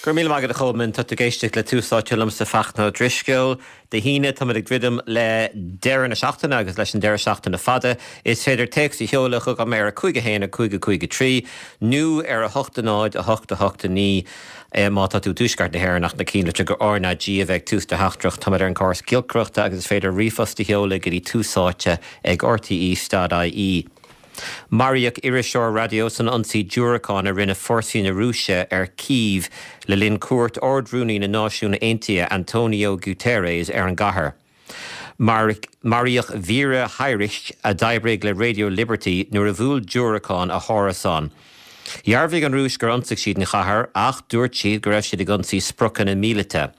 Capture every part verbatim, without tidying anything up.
Go raibh míle maith agat a Cholmáin tá tú ag éisteacht le Tús Áite liomsa Fachtna Ó Drisceoil. Dé hAoine táimid ag druidim le deireadh na seachtaine agus leis an deireadh seachtaine fada. Is féidir téacs a sheoladh chugam ar a cúig a haon a cúig a cúig a trí nó ar a hocht a náid a hocht a hocht a naoi má tá tú i dtuaisceart na hÉireann ach ná cinnte gur RnaG a bheidh tús do theachtaireacht táimid ar an gcóras giolcaireachta agus is féidir ríomhphost a sheoladh go dtí túsáite ag RTE.ie. Maraíodh iriseoir raidió san ionsaí diúracán a rinne fórsaí na Rúise ar Cív le linn cuairt Ard-Rúnaí na Náisiún Aontaithe Antonio Guterres ar an gcathair. Maraíodh Vira Hyrych a d'oibrigh le Radio Liberty nuair a bhuail diúracán a hárasán. Dhearbhaigh an Rúis gur ionsaigh siad an chathair ach dúirt siad go raibh siad ag ionsaí spriocanna míleata.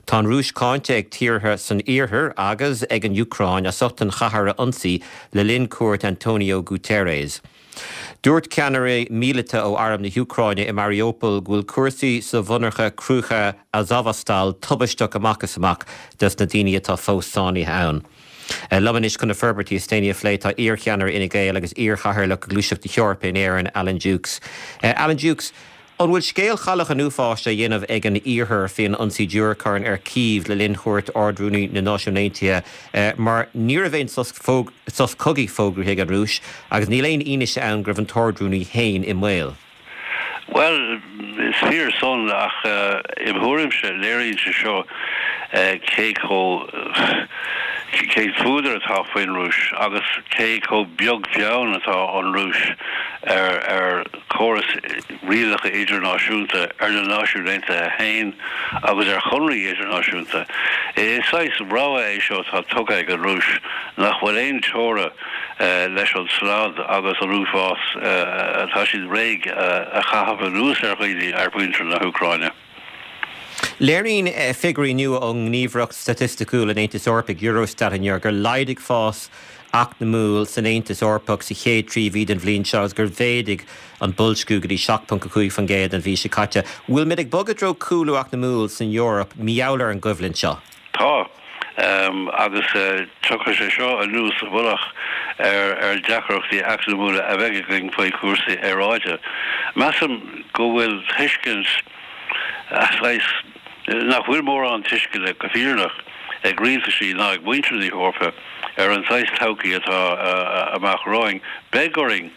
Tá an Rúis cáinte ag tíortha san iarthar agus ag an Úcráin as ucht an chathair a ionsaí le linn cuairt Antonio Guterres. Dúirt ceannaire míleata ó arm na hÚcráine i Mariupol go bhfuil cúrsaí sa mhonarcha cruach Azovstal tubaisteach amach is amach dos na daoine atá fós sáinnithe ann. Liom anois chun na forbairtí is déanaí a phlé tá iarcheannaire Fhine Gael agus iarchathaoirleach Ghluaiseacht na hEorpa in Éirinn Alan Dukes. Uh, Alan Dukes, An bhfuil scéal chailleach an uafáis á dhéanamh ag an iarthar faoin ionsaí diúracán ar Cív le linn chuairt Ard-Rúnaí na Náisiún Aontaithe mar ní raibh aon sos cogaidh fógraithe ag an Rúis agus níl aon fhianaise ann go raibh an tArd-Rúnaí féin i mbaol. Well is fíor san ach uh, im thuairimse léiríonn sé seo uh, cé chomh cén fuadar atá faoin Rúis agus cé chomh beag beann atá an Rúis ar ar chóras rialacha idirnáisiúnta ar na Náisiúin Aontaithe féin agus ar chonarthaí idirnáisiúnta. Is saghas rogha é seo atá tugtha ag an Rúis nach bhfuil aon teora uh, leis an slad agus an uafás uh, atá siad réidh uh, a chaitheamh anuas ar dhaoine ar mhuintir na hÚcráine. Léiríonn figiúirí nua ón nGníomhaireacht Staitistiúil an Aontais Eorpaigh Eurostat inniu gur laghdaigh fás eacnamúil san Aontas Eorpach sa chéad trí mhí den bhliain seo gur mhéadaigh an boilsciú go dtí seacht ponc a cúig faoin gcéad an mhí seo caite. Bhfuil muid ag bogadh i dtreo cúlú eacnamúil san Eoraip mar gheall ar an gcoimhlint seo. Tá. Um, agus uh, tiocfaidh sé seo anuas sa mhullach ar ar deacrachtaí eacnamúla a bheidh againn faoi chúrsaí aeráide. Measaim go bhfuil tuiscint nach bhfuil mórán tuisceana go fírinneach ag rialtaisí ná ag muintir na hEorpa ar an saghas todhchaí atá amach romhainn. Beidh orainn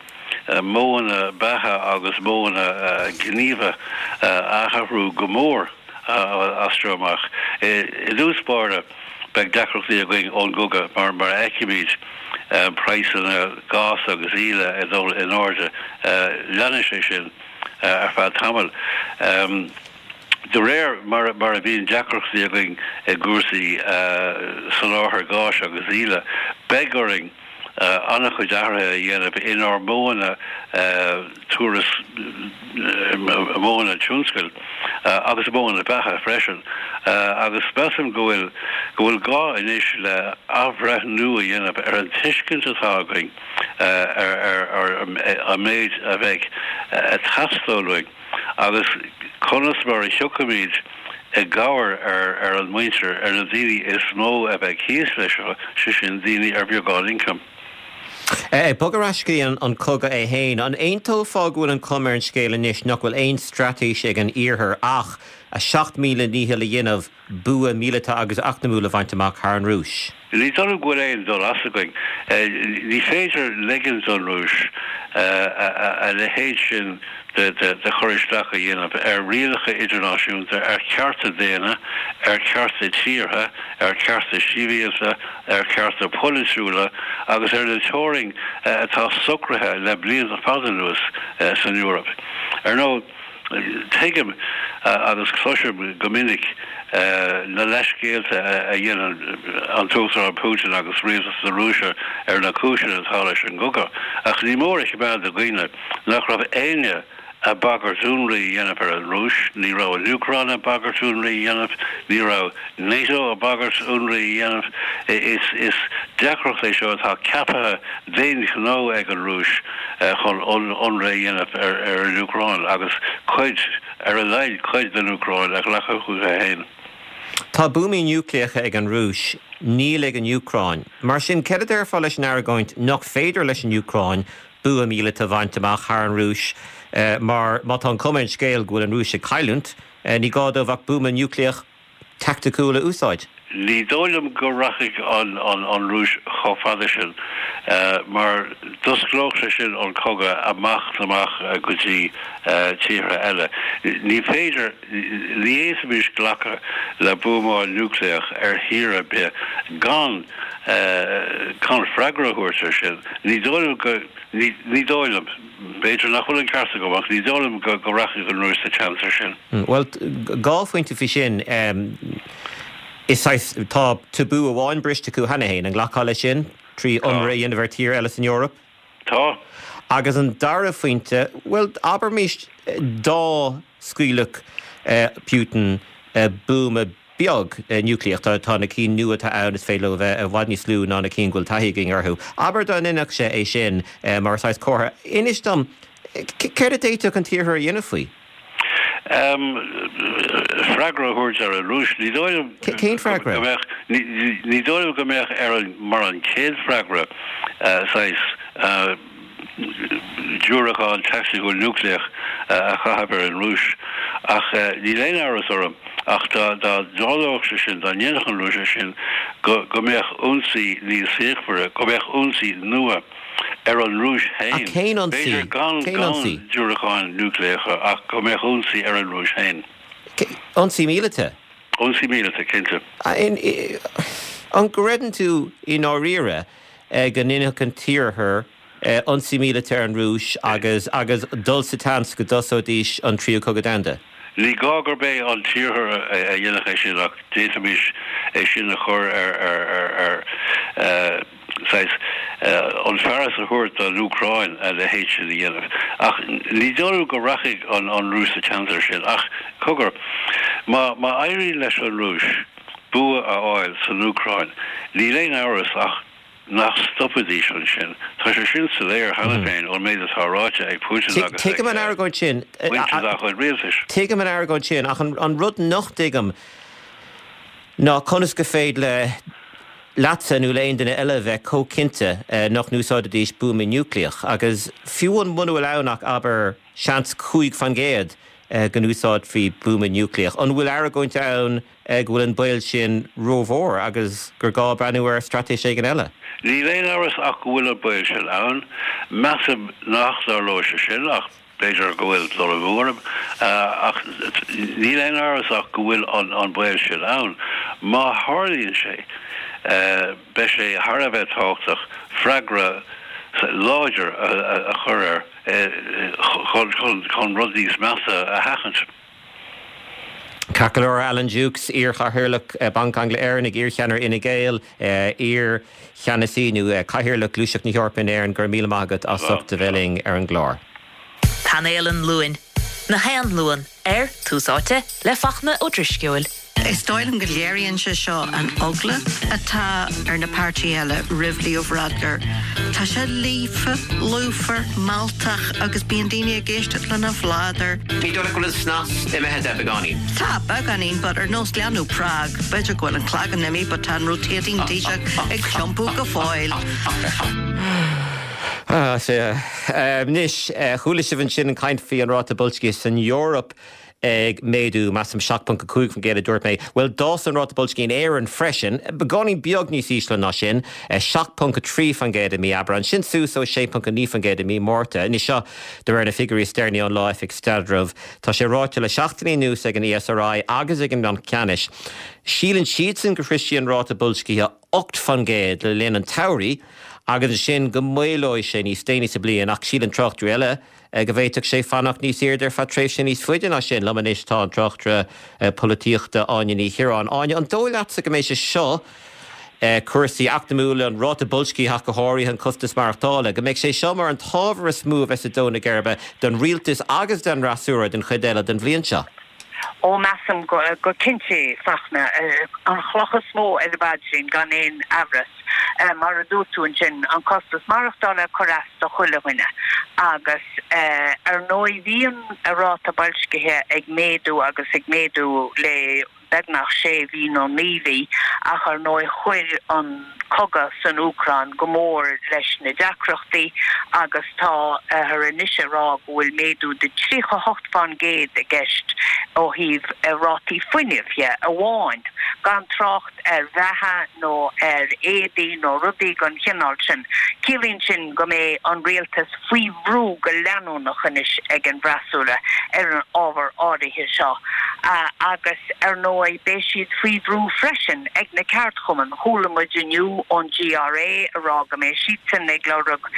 modhanna beatha agus modhanna gníomha a athrú go mór as seo amach. I dtús báire beidh deacrachtaí againn ón gcogadh mar mar fheicimid praghsanna gás agus íle ag dul in airde leanfaidh sé sin ar feadh tamaill. Um, De réir mar mar a bhíonn deacrachtaí againn i gcúrsaí soláthar gáis agus íle, beidh orainn an-chuid athruithe a dhéanamh inár modhanna turas modhanna tionscail agus modhanna beatha freisin. agus measaim go bhfuil go bhfuil gá anois le athbhreithniú a dhéanamh ar an tuiscint atá againn ar ar an méid a bheidh ag teastáil uainn agus conas mar a thiocfaimid i gcabhair ar ar an muintir ar na daoine is mó a bheidh thíos leis seo sé sin daoine ar bheagán ioncaim. Ag bogadh ar ais go dtí an, an cogadh é féin, an aontófá go bhfuil an chuma ar an scéal anois nach bhfuil aon straitéis ag an iarthar ach a seacht míle dícheall a dhéanamh bua míleata agus eacnamúil a bhaint amach thar an Rúis. Ní dóigh liom go bhfuil aon dul as againn. Ní féidir ligean don Rúis a leithéid sin de de chur isteach a dhéanamh ar rialacha idirnáisiúnta, ar chearta daonna, ar chearta tíortha, ar chearta sibhialta, ar chearta polaitiúla agus ar na teorainn atá socraithe le blianta fada anuas san Eoraip. Ar ndóigh tuigim agus cloisim go minic na leithscéalta a dhéanann an tUachtarán Putin agus rialtas na Rúise ar na cúiseanna atá leis an gcogadh, ach ní mór a choimeád i gcuimhne nach raibh éinne ag bagairt ionradh a dhéanamh ar an Rúis, ní raibh an Úcráin ag bagairt ionradh a dhéanamh, ní raibh NATO ag bagairt ionradh a dhéanamh. Is is deacracht é seo atá ceaptha d'aon ghnó ag an Rúis chun ionradh a dhéanamh ar ar an Úcráin agus cuid ar a laghad cuid den Úcráin a ghlacadh chuige féin. Tá buamaí núicléacha ag an Rúis, níl ag an Úcráin. Mar sin céard a déarfá leis an argóint nach féidir leis an Úcráin bua míleata a bhaint amach thar an Rúis, mar má tá an chuma ar an scéal go bhfuil an Rúis ag cailliúint, ní gá dóibh ach buama núicléach taicticiúil a úsáid. Ní dóigh liom go rachaidh an Rúis chomh fada sin, mar d'osclódh sé sin an cogadh amach is amach go dtí tíortha eile. Ní féidir, ní fhéadfaimis glacadh le buamáil núicléach ar thír ar bith gan gan freagra a thabhairt air sin. Ní dóigh liom go, ní dóigh liom, b'fhéidir nach bhfuil an ceart agam, ach ní dóigh liom go rachaidh an Rúis sa tseans air sin. Bhuel, dhá phointe faoi sin. Is saghas, tá tabú amháin briste acu cheana féin, an nglacfá leis sin, trí ionradh a dhéanamh ar tír eile san Eoraip? Tá. Agus an dara phointe, bhuel, abraimis dá scaoilfeadh Putin buama beag núicléach, tá tá na cinn nua atá ann, is féidir leo a bheith i bhfad níos lú ná na cinn go bhfuil taithí againn orthu. Abair dá ndéanfadh sé é sin mar saghas comhartha. Inis dom, céard a d'fhéadfadh an tIarthar a dhéanamh faoi? Freagra a thabhairt ar an Rúis. Ní dóigh liom Cén freagra? go mbeadh, ní dóigh liom go mbeadh ar an, mar an chéad freagra, saghas diúracán taicticiúil núicléach a chaitheamh ar an Rúis. Ach níl aon amhras orm ach dá dtarlódh sé sin, dá ndéanfadh an Rúis é sin, go mbeadh ionsaí níos fíochmhaire, go mbeadh ionsaí nua ar an Rúis Ach féin, cén ionsaí? b'fhéidir gan Cén gan ionsaí? diúracáin núicléacha ach go mbeadh ionsaí ar an Rúis féin. Ionsaí míleata? Ionsaí míleata, cinnte. An gcreideann tú i ndáiríre go ndéanfadh an tIarthar ionsaí míleata ar an Rúis agus agus dul sa tseans go dtosóidís an Tríú Cogadh Domhanda? Ní gá gurb é an tIarthar a dhéanfadh é sin ach d'fhéadfaimis é sin a chur ar ar ar ar saghas an fearas a thabhairt don Úcráin a leithéid sin a dhéanamh. Ach ní dóigh liom go rachaidh an an Rúis sa tseans air sin. Ach cogar, má má éiríonn leis an Rúis bua a fháil san Úcráin, níl aon amhras ach nach stopfaidís ansin. Tá sé sin soiléir cheana féin ón méid atá ráite ag Putin agus ag Tuigim an argóint sin. muintir dá chuid rialtais. Tuigim an argóint sin, ach an an rud nach dtuigim ná conas gur féidir le leatsa nó le aon duine eile bheith chomh cinnte nach n-úsáidfidís buama núicléach, agus fiú an muna bhfuil ann ach abair seans cúig faoin gcéad go n-úsáidfí buama núicléach, an bhfuil argóint ann go bhfuil an baol sin rómhór agus gur gá breathnú ar straitéis éigin eile? Níl aon amhras ach go bhfuil an baol sin ann. Measaim nach dtarlóidh sé sin ach b'fhéidir go bhfuil dul amú orm. Ach níl aon amhras ach go bhfuil an baol sin ann. Má tharlaíonn sé, beidh sé thar a bheith tábhachtach freagra láidir a chur air chun rud níos measa a sheachaint. Ceart go leor, Alan Dukes, iar-chathaoirleach Banc Angla-Éireannaigh, iar-cheannaire Fhine Gael, iar-cheannasaí nó cathaoirleach Gluaiseacht na hEorpa in Éirinn, go raibh míle maith agat as ucht a bheith linn ar an gclár. Painéal an Luain, gach aon Luan ar Tús Áite le Fachtna Ó Drisceoil. Is dóigh liom go léiríonn sé seo an eagla atá ar na páirtithe eile roimh Leo Varadkar. Tá sé líofa, lúfar, mealltach agus bíonn daoine ag éisteacht lena bhladar. Ní dóigh go bhfuil an snas imithe de beagáinín. Tá beagáinín, but ar nós leanbh Prague, b'fhéidir go bhfuil an cloigeann imithe, but tá an rotating Taoiseach ag tiompú go fóill. Ah, sea. Anois, chuala sibh ansin an caint faoi an ráta boilscithe san Eoraip ag méadú, measaim seacht ponc a cúig faoin gcéad a dúirt mé. Bhuel, d'fhás an ráta boilscithe in Éirinn freisin, beagáinín beag níos ísle ná sin, seacht ponc a trí faoin gcéad i mí Aibreáin, sin suas ó sé ponc a naoi faoin gcéad i mí Márta. Anois seo de réir na figiúirí is deireanaí ón Lá-Oifig Staidrimh. Tá sé ráite le seachtainí anuas ag an E S R I agus ag an mBanc Ceannais. Síleann siadsan go sroisfidh an ráta boilscithe ocht faoin gcéad le linn an tsamhraidh agus ansin go maolóidh sé níos déanaí sa bliain, ach síleann tráchtairí eile go bhféadfadh sé fanacht níos airde ar feadh tréimhse níos faide ná sin. Liom anois tá an tráchtaire polaitíochta Áine Ní Chiaráin. Áine, an dóigh leatsa go mbeidh sé seo, cúrsaí eacnamúla, an ráta boilscithe ach go háirithe an costas maireachtála, go mbeidh sé seo mar an t-ábhar is mó a bheas ag dó na geirbe don rialtas agus don fhreasúra den chuid eile den bhliain seo? Ó, measaim go go cinnte, Fachtna, an chloch is mó ar an bpaidrín gan aon amhras. Mar a dúirt tú ansin, an costas maireachtála ag cur as do chuile dhuine agus ar ndóigh bhí an ráta boilscithe ag méadú agus ag méadú le beagnach sé mhí nó naoi mhí ach ar ndóigh chuir an cogadh san Úcráin go mór leis na deacrachtaí agus táthar anois ag rá go bhfuil méadú de tríocha hocht faoin gcéad i gceist ó thaobh rátaí fuinnimh dhe amháin, gan trácht ar bheatha nó ar éadaí nó rudaí den chineál sin. Ciallaíonn sin go mbeidh an rialtas faoi bhrú go leanúnach anois ag an bhfreasúra ar an ábhar áirithe seo agus ar ndóigh beidh siad faoi bhrú freisin ag na ceardchumainn. Chuala muid inniu ón GRA ag rá go mbeidh siadsan ag lorg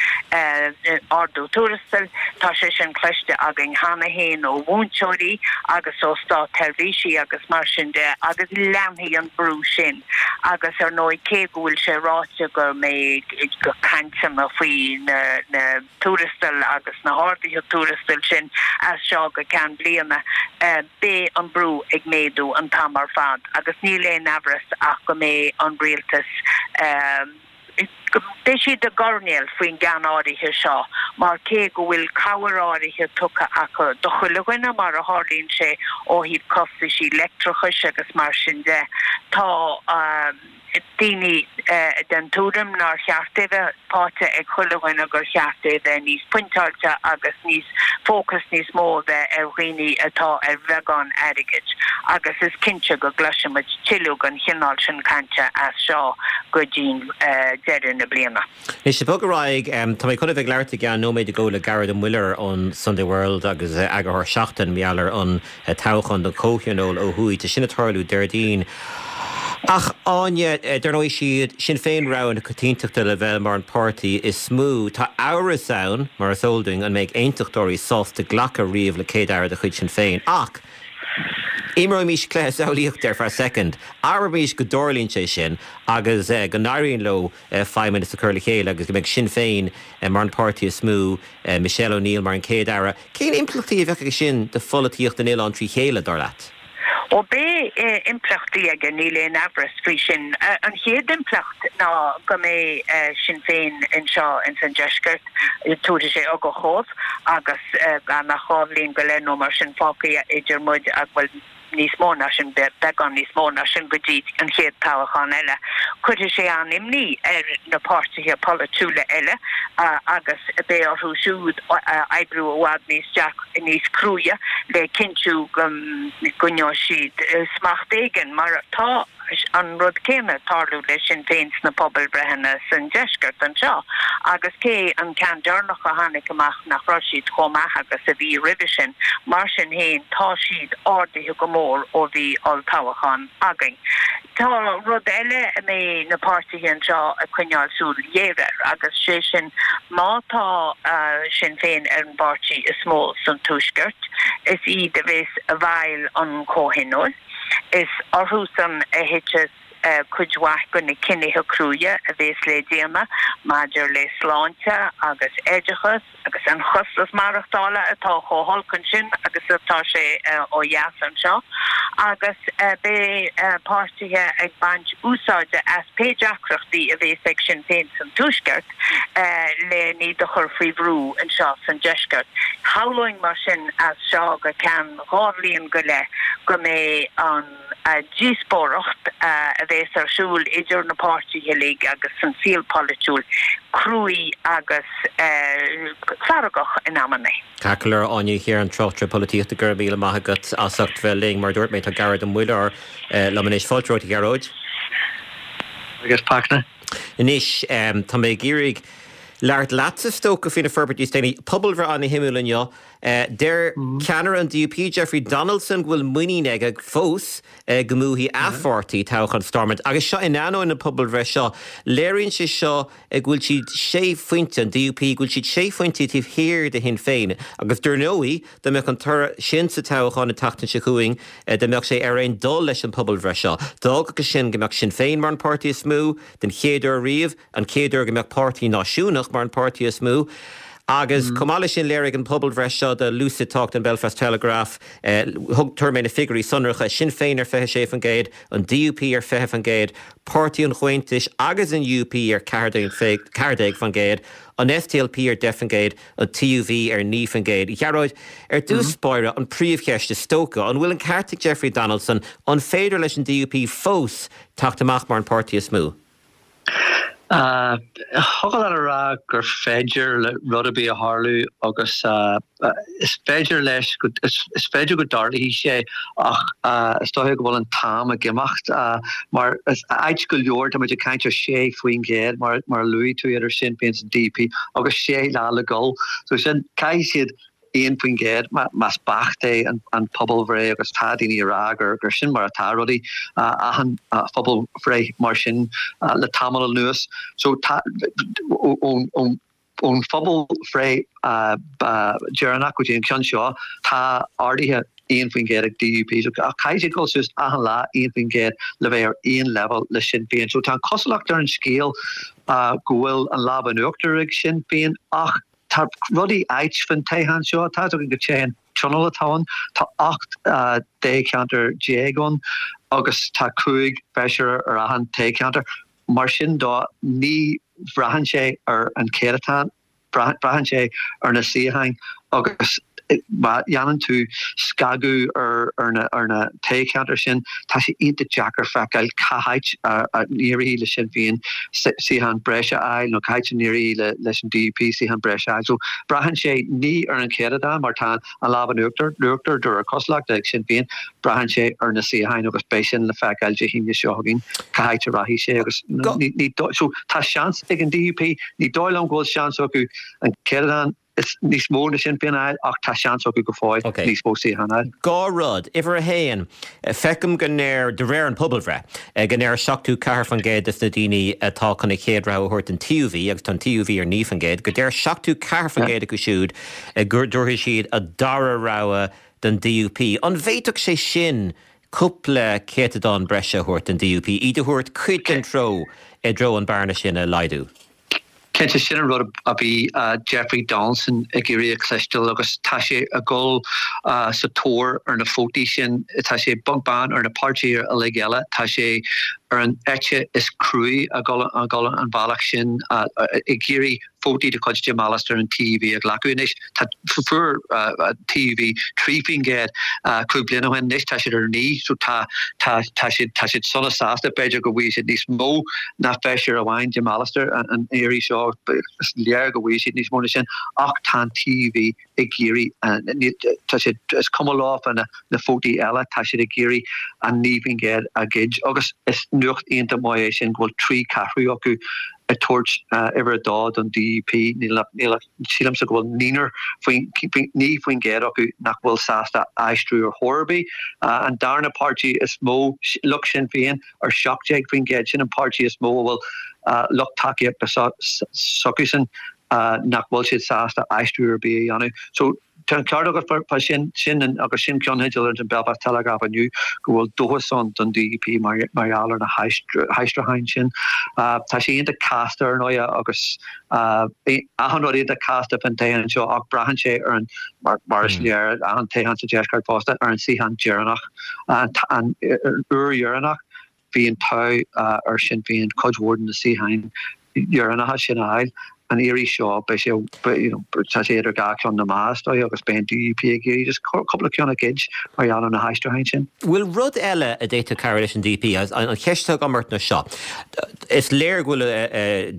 ardú tuarastail. Tá sé sin cloiste againn cheana féin ó mhúinteoirí agus ó státsheirbhísigh agus mar sin de agus leanfaidh an brú sin agus ar ndóigh cé go bhfuil sé ráite go mbeidh cainteanna faoi na na tuarastail agus na harduithe tuarastail sin as seo go ceann bliana beidh an brú ag méadú an t-am ar fad agus níl aon amhras ach go mbeidh an rialtas beidh siad i gcoirnéal faoin gceann áirithe seo mar cé go bhfuil cabhair áirithe tugtha acu do chuile dhuine mar a tharlaíonn sé ó thaobh costaisí leictreachais agus mar sin de tá daoine den tuairim nár cheart é bheith faighte ag chuile dhuine gur cheart é bheith níos pointeáilte agus níos fócas níos mó a bheith ar dhaoine atá ar bheagán airgid agus is cinnte go gcloisfimid tuilleadh den chineál sin cainte as seo go dtí deireadh na bliana. Anois ag bogadh ar aghaidh, tá mé chun a bheith ag labhairt i gceann nóiméad go le Gearóid Ó Muilleoir ón Sunday World agus eagarthóir Seachtain mar gheall ar an toghchán don Chomhthionól ó thuaidh. Tá sin ag tarlú Déardaoin. Ach Áine, dar ndóigh siad Sinn Féin rogha na coitiantachta le bheith mar an páirtí is mó. Tá amhras ann, mar is eol dúinn, an mbeidh aontachtóirí sásta glacadh riamh le céad-aire de chuid Sinn Féin. Ach imreoimís cluiche samhlaíochta ar feadh soicind. Abraimís go dtarlaíonn sé sin agus go n-éiríonn leo feidhmeannas a chur le chéile agus go mbeidh Sinn Féin mar an páirtí is mó, Michelle O'Neill mar an chéad-aire. Cén impleachtaí a bheadh aige sin do pholaitíocht an oileáin trí chéile, dar leat? Ó beidh impleachtaí aige, níl aon amhras faoi sin. An chéad impleacht ná go mbeidh Sinn Féin anseo ins an deisceart, tabharfaidh sé ugach dhóibh agus gan ach dhá bhliain go leith nó mar sin fágtha idir muid ag bhuel níos mó ná sin, beagán níos mó ná sin go dtí an chéad toghchán eile. Cuirfidh sé an-imní ar na páirtithe polaitiúla eile agus beidh orthu siúd oibriú i bhfad níos níos cruaidhe le cinntiú go gcoinneoidh siad smacht éigin mar tá an rud céanna ag tarlú le Sinn Féin sna pobalbhreitheanna san deisceart anseo agus cé an ceann deireanach a tháinig amach nach raibh siad chomh maith agus a bhí roimhe sin, mar sin féin tá siad ardaithe go mór ó bhí olltoghchán againn. Tá rud eile a mbeidh na páirtithe anseo ag coinneáil súil ghéar air agus sé sin má tá Sinn Féin ar an bpáirtí is mó san Tuaisceart, is iad a bheas i bhfeighil an Chomhthionóil. Is orthusan a thiteas cuid mhaith de na cinnithe cruaidhe a bheas le déanamh maidir le sláinte agus oideachas agus an costas maireachtála atá chomh holc ansin agus atá sé ó dheas anseo agus beidh páirtithe ag baint úsáide as pé deacrachtaí a bheas ag Sinn Féin san Tuaisceart le iad a chur faoi bhrú anseo san Deisceart. Shamhlóinn mar sin as seo go ceann dhá bhliain go leith go mbeidh an díospóireacht a bheas ar siúl idir na páirtithe uilig agus san saol polaitiúil cruaidh agus feargach in amanna. Ceart go leor, Áine Ní Chiaráin, tráchtaire polaitíochta, go raibh míle maith agat as ucht bheith linn. Mar a dúirt mé, tá Gearóid Ó Muilleoir liom anois. Fáilte romhat, a Ghearóid. Agus Fachtna. Anois, tá mé ag iarraidh labhairt leatsa, is dócha, faoi na forbairtí is déanaí. Pobalbhreith an-shuimiúil inniu. Deir ceannaire an DUP, Jeffrey Donaldson, go bhfuil muinín aige fós go mbuafaidh a pháirtí toghchán Stormont. Agus seo in ainneoin na pobalbhreith seo. Léiríonn sé seo go bhfuil siad sé phointe, an DUP, go bhfuil siad sé phointe taobh thiar de Shinn Féin. Agus dar ndóigh, dá mbeadh an toradh sin sa toghchán an tseachtain seo chugainn, dá mbeadh sé ar aon dul leis an pobalbhreith seo, d'fhágfadh sin go mbeadh Sinn Féin mar an páirtí is mó den chéad uair riamh, an chéad uair go mbeadh páirtí náisiúnach mar an páirtí is mó. Agus chomh maith leis sin léirigh an pobalbhreith seo do Lucid Talk don Belfast Telegraph, thug tabharfaidh mé na figiúirí sonracha, Sinn Féin ar fiche sé faoin gcéad, an DUP ar fiche faoin gcéad, Páirtí an Chomhaontais agus an UUP ar ceathair déag faoin gcéad, an SDLP ar deich faoin gcéad, an TUV ar naoi faoin gcéad. Gearóid, ar dtús báire, an príomhcheist is dócha, an bhfuil an ceart ag Jeffrey Donaldson, an féidir leis an DUP fós teacht amach mar an páirtí is mó? Thiocfadh leat a rá gur féidir le rud ar bith a tharlú agus is féidir leis go is féidir go dtarlóidh sé ach is dóiche go bhfuil an t-am ag imeacht mar is ait go leor tá muid ag caint ar sé faoin gcéad mar mar a luaigh tú idir Sinn Féin is an DUP agus sé lá le dul so sin caithfidh siad aon faoin gcéad más beacht é an pobalbhreith agus tá daoine ag rá gur gur sin mar atá rudaí achan phobalbhreith mar sin le tamall anuas. So tá ón ón ón phobalbhreith deireanach go dtí an ceann seo tá ardaithe aon faoin gcéad ag DUP so caithfidh siad dul suas achan lá aon faoin gcéad le bheith ar aon leibhéal le Sinn Féin. So tá an cosúlacht ar an scéal go bhfuil an lámh in uachtar ag Sinn Féin ach Tá rudaí ait faoin toghchán seo. Tá a fhios againn gur toghchán tionóil atá ann. Tá ocht dtoghcheantar déag ann agus tá cúig feisire ar achan toghcheantar. Mar sin dó, ní bhraitheann sé ar an céatadán, braitheann sé ar na suíocháin agus má dhéanann tú scagadh ar na toghcheantair sin, tá sé iontach deacair feiceáil cá háit a n-éireoidh le Sinn Féin suíochán breise a fháil nó cá háit a n-éireoidh leis an DUP suíochán breise a fháil. So braitheann sé ní ar an chéatadán mar tá an lámh in uachtar, uachtar de réir cosúlachta ag Sinn Féin, braitheann sé ar na suíocháin agus beidh sin le feiceáil Dé hAoine seo chugainn cá háit a rachaidh sé agus ní so tá seans ag an DUP, ní dóigh liom go bhfuil seans acu an céatadán is níos mó ná Sinn Féin a fháil ach tá seans acu go fóill níos mó suíochán a fháil. Dhá rud. Uimhir a haon, feicim go ndeir, de réir an pobalbhreith, go ndeir seachtó ceathair faoin gcéad des na daoine atá chun a chéad rogha a thabhairt don TUV, agus tá an TUV ar naoi faoin gcéad, go deir seachtó ceathair faoin gcéad acu siúd go dtabharfaidh siad a dara rogha don DUP. An bhféadfadh sé sin cúpla céatadán breise a thabhairt don DUP, iad a thabhairt cuid den treo i dtreo an bearna sin a laghdú? Cinnte, sin an rud a bhí Jeffrey Donaldson ag iarraidh a chloisteáil agus tá sé ag dul sa tóir ar na vótaí sin. Tá sé beag beann ar na páirtithe uilig eile. Tá sé ar an eite is cruaí ag dul an bealach sin ag iarraidh vótaí de chuid Jim Allister an TUV a ghlacadh. Anois tá fuair an TUV trí faoin gcéad cúig bliana ó shin, anois tá siad ar naoi so tá tá tá siad tá siad sona sásta. B'fhéidir go bhfaighidh siad níos mó ná feisire amháin Jim Allister an iarraidh seo, is léir go bhfaighidh siad níos mó ná sin ach tá an TUV ag iarraidh, tá siad, is cuma leo fá na vótaí eile, tá siad ag iarraidh an naoi faoin gcéad a ghoid agus is nuacht iontach maith é sin go bhfuil trí cheathrú acu ag tabhairt uimhir a dó don DUP. Níl ach, sílimse go bhfuil naonúr faoin, naoi faoin gcéad acu nach bhfuil sásta aistriú ar chor ar bith. An darna páirtí is mó, lucht Sinn Féin ar seacht déag faoin gcéad, sin an páirtí is mó a bhfuil lucht tacaíochta s'acusan nach bhfuil siad sásta aistriú ar bith a dhéanamh. So tá an ceart agat fá sin, sin agus sin ceannteideal ar an Belfast Telegraph inniu go bhfuil dóchas ann don DUP mar gheall ar na haistriúcháin sin. Tá sé iontach casta ar ndóigh agus achan rud iontach casta fán toghchán seo ach braitheann sé ar an, mar is léir, achan toghchán sa deisceart fosta, ar an suíochán deireanach, an uair dheireanach. Bhí an t-ádh ar Shinn Féin cuid mhór de na suíocháin dheireanacha sin a fháil. An iarraidh seo, beidh sé, you know, tá sé idir dhá cheann na meá, is dóigh, agus beidh an DUP ag iarraidh just cúpla ceann a ghoid mar gheall ar na haistriúcháin sin. Bhfuil rud eile a d'fhéadfadh cabhrú leis an DUP? An cheist atá agam ort ná seo. Is léir go bhfuil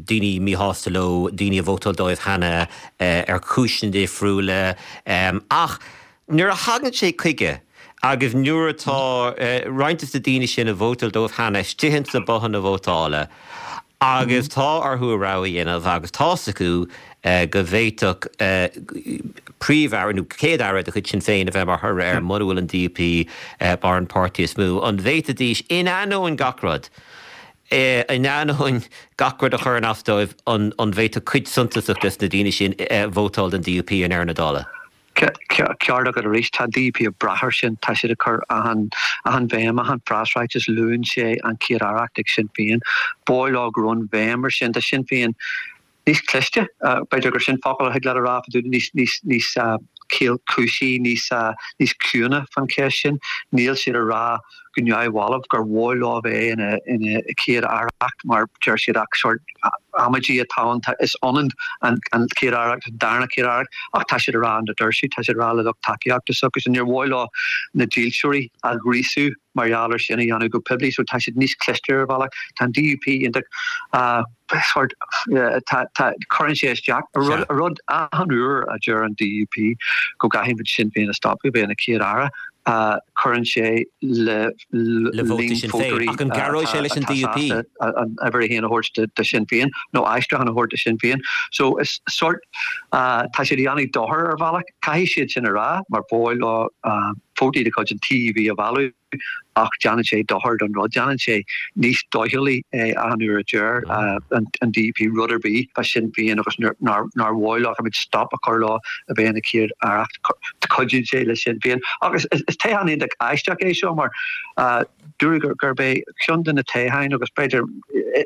daoine míshásta leo, daoine a vótáil dóibh cheana ar chúiseanna difriúla, ach Nuair a thagann sé chuige agus nuair atá roinnt de na daoine sin a vótáil dóibh cheana istigh ins na bothanna vótála agus tá orthu a rogha a dhéanamh agus tá's acu go bhféadfadh príomh-aire nó céad-aire de chuid Sinn Féin a bheith mar thoradh air mura bhfuil an DUP mar an páirtí is mó, an bhféadfaidís, in ainneoin gach rud, in ainneoin gach rud a chuireann as dóibh, an bhféadfadh cuid suntasach des na daoine sin vótáil don DUP i ndeireadh na dála? Ceart agat arís, tá an DUP ag brath air sin, tá siad ag cur achan bhéim, achan phreasráiteas, luann sé an Chéad-Aireacht ag Sinn Féin. Ba mhaith leo go raibh an bhéim ar sin. Tá Sinn Féin níos cliste, b'fhéidir gur sin focal a thig leat a rá, níos níos níos caolchúisí, níos níos ciúine fan cheist sin. Níl siad ag rá go neamhbhalbh gur mhaith leo bheith ina ina chéad aireacht mar deir siad ach sort amaidí atá ann, is ionann an an chéad aireacht an darna chéad aireacht ach tá siad ag rá an deir siad, tá siad ag rá le lucht tacaíochta s'acu níor mhaith leo na dílseoirí a ghríosú mar gheall ar sin a dhéanamh go poiblí so tá siad níos cliste ar bhealach. Tá an DUP iontach sort tá tá cuireann sé isteach a rud a rud achan uair a deir an DUP go gcaithfidh muid Sinn Féin a stopadh bheith ina chéad aire cuireann sé le le vótaí Sinn Féin ach an gcabhróidh sé leis an DUP? An uimhir a haon a thabhairt do Sinn Féin nó aistriúchán a thabhairt do Sinn Féin. So is sort tá siad ag déanamh dochar ar bhealach. Caithfidh siad sin a rá mar ba mhaith leo vótaí de chuid an TUV a mhealladh ach déanann sé dochar don rud, déanann sé níos doicheallaí é achan uair a deir an DUP rud ar bith fá Sinn Féin agus nár nár mhaith leo muid stop a chur leo a bheith ina chéad aireacht cuidíonn sé le Sinn Féin. Agus is toghchán iontach aisteach é seo mar dúradh gurb é ceann de na toghcháin agus b'fhéidir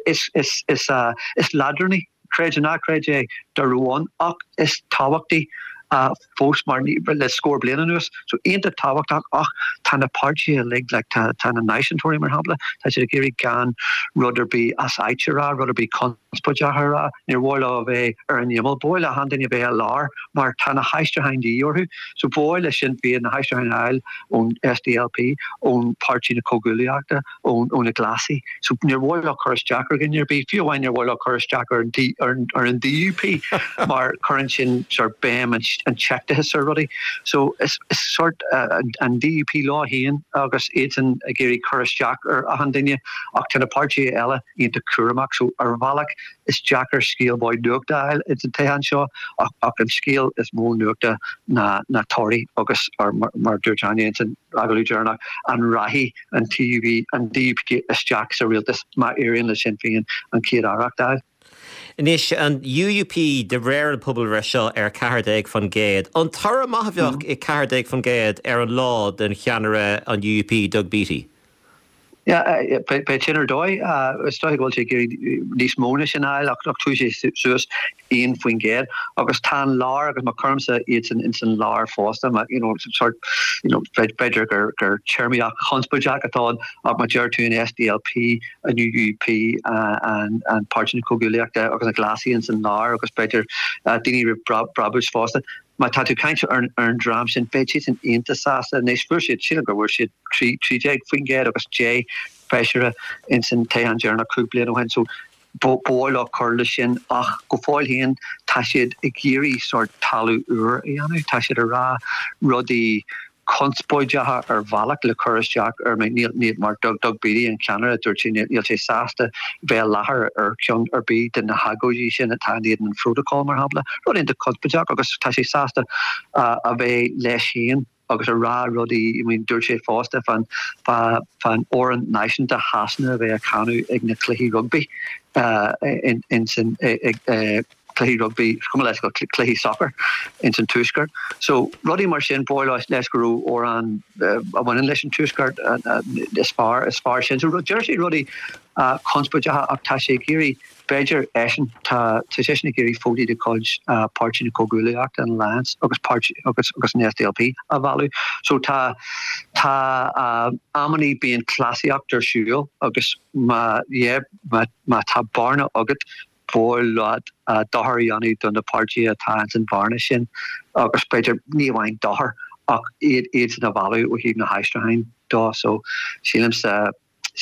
is is is is leadránaí creid nó ná creid é dá raibh ann ach is tábhachtaí fós mar le scór bliain anuas. So iontach tábhachtach ach tá na páirtithe uilig like tá tá na náisiúntóirí mar shampla, tá siad ag iarraidh gan rud ar bith as áit a rá, rud ar bith conspóideach a rá, níor mhaith leo a bheith ar an imeall, ba mhaith le achan duine a bheith i lár mar tá na haistriúcháin de dhíth orthu. So ba mhaith le Sinn Féin na haistriúcháin a fháil ón SDLP, ón Páirtí na Comhghuaillíochta, ón ó na Glasaigh. So níor mhaith leo cur isteach ar dhuine ar bith, fiú amháin níor mhaith leo cur isteach ar an ar an ar an DUP mar cuireann sin sort béim an an tseicteachais ar rudaí. So is is sort uh, an DUP leo féin agus iadsan ag iarraidh cur isteach ar achan duine ach tá na páirtithe eile iontach cúramach so ar bhealach is deacair scéal maith nuachta a fháil ins an toghchán seo ach ach an scéal is mó nuachta ná na torthaí agus ar mar, mar dúirt Áine ins an agallamh deireanach an rachaidh an TUV an DUP isteach sa rialtas má éiríonn le Sinn Féin an chéad aireacht a fháil. Anois an UUP de réir an pobalbhreith seo ar ceathair déag faoin gcéad. An toradh maith a bheadh i ceathair déag faoin gcéad ar an lá den cheannaire an UUP Doug Beattie. Yeah, beidh sin ar dóigh is dóigh go bhfuil sé ag iarraidh níos mó ná sin a fháil ach chuaigh sé suas aon faoin gcéad agus tá an lár agus má chuirimse iad san ins an lár fosta má you know sort you know b'fhéidir gur gur téarmaíocht chonspóideach atá ann ach má deir tú an SDLP an UUP an an Páirtí na Comhghuaillíochta agus na Glasaigh ins an lár agus b'fhéidir daoine roimh brabús fosta. Má tá tú caint ar an dream sin beidh siad san iontach sásta anois fuair siad sílim gur bhfuair siad trí trí déag faoin gcéad agus deich feisire ins an toghchán deireanach cúig bliana ó shin so ba mhaith leo cur leis sin ach go fóill féin tá siad ag iarraidh sort talamh úr a dhéanamh tá siad ag rá rudaí conspóideacha ar bhealach le cur isteach ar mé níl níl mar Doug Doug Beattie an ceannaire dúirt sé níl sé sásta bheith i láthair ar ceann ar bith de na hagóidí sin atá in éadan an phrótacal mar shampla rud iontach conspóideach agus tá sé sásta uh, a bheith leis féin agus a rá rudaí I mean, dúirt sé fosta fan fan amhrán náisiúnta Shasana a bheith á chanadh ag na cluichí rugby uh, in, in sin ag uh, cluichí rugby cuma leis go cluichí soccer ins an tuaisceart. So rudaí mar sin ba mhaith leis go raibh amhrán a bhaineann leis an tuaisceart is fearr is fearr sin. So deir sé rudaí uh, conspóideacha ach tá sé ag iarraidh b'fhéidir eisean tá tá seisean ag iarraidh vótaí de chuid uh, Páirtí na Comhghuaillíochta an Alliance agus páirtí agus agus an SDLP a mhealladh. So tá tá uh, amannaí bíonn cleasaíocht ar siúl agus má yeah, má, má tá bearna agat ba mhaith leat uh, dochar a dhéanamh do na páirtithe atá an bhearna sin agus b'fhéidir ní amháin dochar ach iad iad san a mhealladh ó thaobh na haistriúcháin dó so sílimse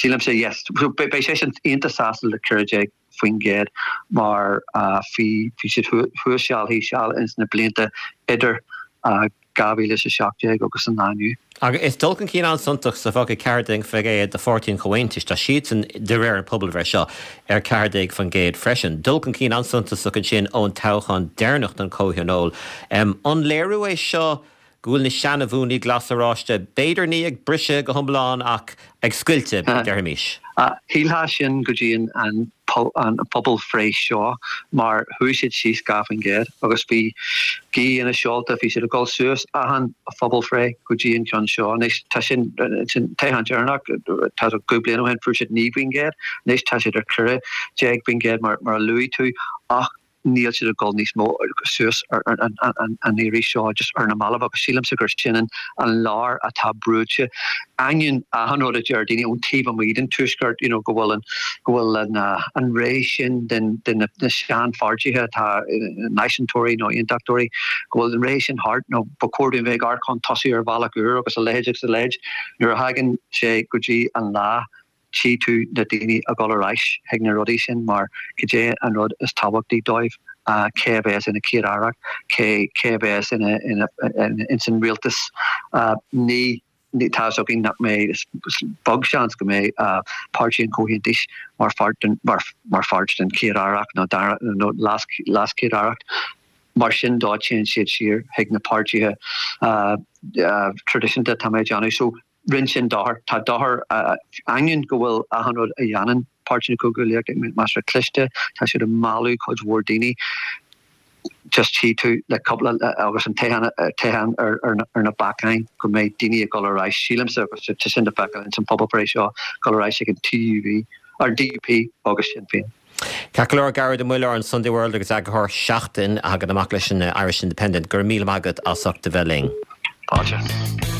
sílimse yes so beidh sé sin iontach sásta le ceathair déag faoin gcéad mar uh, bhí bhí siad thuas seal thíos seal ins na blianta idir uh, dhá mhíle is a seacht déag agus an lá inniu. Agus is dul chun cinn an-suntasach sa bhfoca ceathair déag faoin gcéad do Pháirtí an Chomhaontais tá siadsan de réir an pobalbhreith seo ar ceathair déag faoin gcéad freisin. Dul chun cinn an-suntasach ansin ón toghchán deireanach don Chomhthionól. Um, an léiriú é seo go bhfuil na seanamhúnaí glas-oráiste b'fhéidir ní ag briseadh go hiomlán ach ag scoilteadh déarfaimis. Shílfeá sin go dtí an an pobalbhreith seo mar chuaigh siad síos dhá faoin gcéad agus bhí gaoth ina seolta bhí siad ag dul suas achan phobalbhreith go dtí an ceann seo anois tá sin sin toghchán deireanach tá cúig bliana ó shin fuair siad naoi faoin gcéad anois tá siad ar ceathair déag faoin gcéad mar mar a luaigh tú ach Níl siad ag dul níos mó suas ar an iarraidh seo just ar na mallaibh agus sílimse gur sin an an lár atá brúite. Ainneoin achan rud a deir daoine ón taobh amuigh den tuaisceart you know, go bhfuil an go bhfuil an uh, an ré sin den den na, na seanpháirtithe atá náisiúntóirí nó aontachtóirí go bhfuil an ré sin thart nó ba chóir dúinn bheith ag chun tosaigh ar bhealach úr agus a leithéid agus a leithéid nuair a thagann sé go dtí an lá tchí tú na daoine ag dul ar ais chuig na rudaí sin mar cad é an rud is tábhachtaí dóibh uh, cé a bheas ina chéad-aire cé cé a bheas ina ina in san rialtas uh, ní ní tá againn nach mbeidh beag seans go mbeidh uh, Páirtí an Chomhaontais mar pháirt den mar mar pháirt den chéad-aireacht nó dara nó leas leaschéad-aireacht mar sin dá téann siad siar chuig na páirtithe uh, uh, traidisiúnta tá mé ag déanamh so rinne sin dochar tá dochar uh, ainneoin go bhfuil achan rud a dhéanann Páirtí na Comhghuaillíochta measartha cliste tá siad ag mealladh cuid mhór daoine just tchí tú le cúpla agus an toghchán ar ar na bacáin go mbeidh daoine ag dul ar ais sílimse agus tá sin le feiceáil in san pobalbhreith seo dul ar ais ag an TUV ar DUP agus Sinn Féin. Ceart go leor Gearóid Ó Muilleoir an Sunday World agus eagarthóir Seachtain a thagann amach leis an Irish Independent gur míle maith agat as ucht a bheith linn. Fáilte.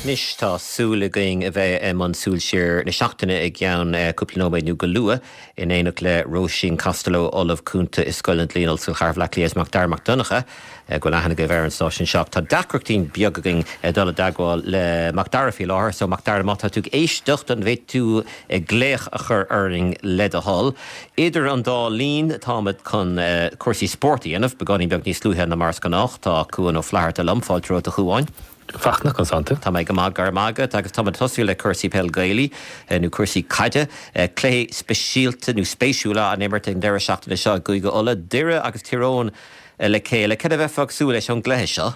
Anois tá súil againn a bheith i mbun súil siar na seachtaine i gceann cúpla nóiméad nó go luath in éineacht le Róisín Costello Ollamh Cúnta i Scoil an Dlí in Ollscoil Chathair Bhaile Átha Cliath Macdara Mac Donncha go bhfuil aithne agaibh ar an stáisiún seo. Tá deacrachtaí beag againn dul i dteagmháil le Macdara faoi láthair, so Macdara má tá tú ag éisteacht an bhféadfá tú glaoch a chur orainn le do thoil. Idir an dá linn táimid chun cúrsaí spóirt a dhéanamh, beagáinín beag níos luaithe ná mar is gnách tá Cuan Ó Flatharta liom fáilte romhat a Chuáin. Fachtna conas tánn tú. Tá mé go maith go raibh maith agat agus tá tosú le cúrsaí peil Gaelaí nó cúrsaí caide, cluiche speisialta nó spéisiúla an imirt an deireadh seachtaine seo i gCúige Uladh, Doire agus Tír Eoghain le chéile. Cad a bheifeá ag súil leis ón gcluiche seo?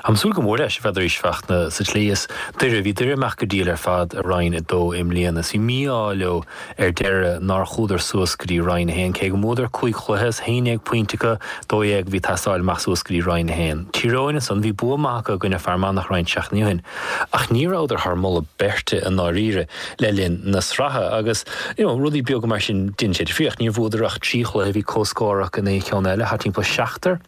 Ag súil go mór leis bheith arís Fachtna sa tslí is Doire bhí Doire amach go diail ar fad i Roinn a dó i mbliana. Bhí mí-ádh leo ar deireadh nár chuadar suas go dtí Roinn a haon cé go mbuadar cúig chluiche is haon déag pointe acu dó dhéag bhí teastáil amach suas go dtí Roinn a haon. Tír Eoghain ansan bhí bua maith acu i gcoinne Fear Manach roinnt seachtainí ó shin ach ní rabhadar thar moladh beirte i ndáiríre le linn na sraithe agus you know, rudaí beaga mar sin déanann sé difríocht níor bhuadar ach trí chluiche bhí comhscór acu in aon cheann eile thart timpeall seachtar.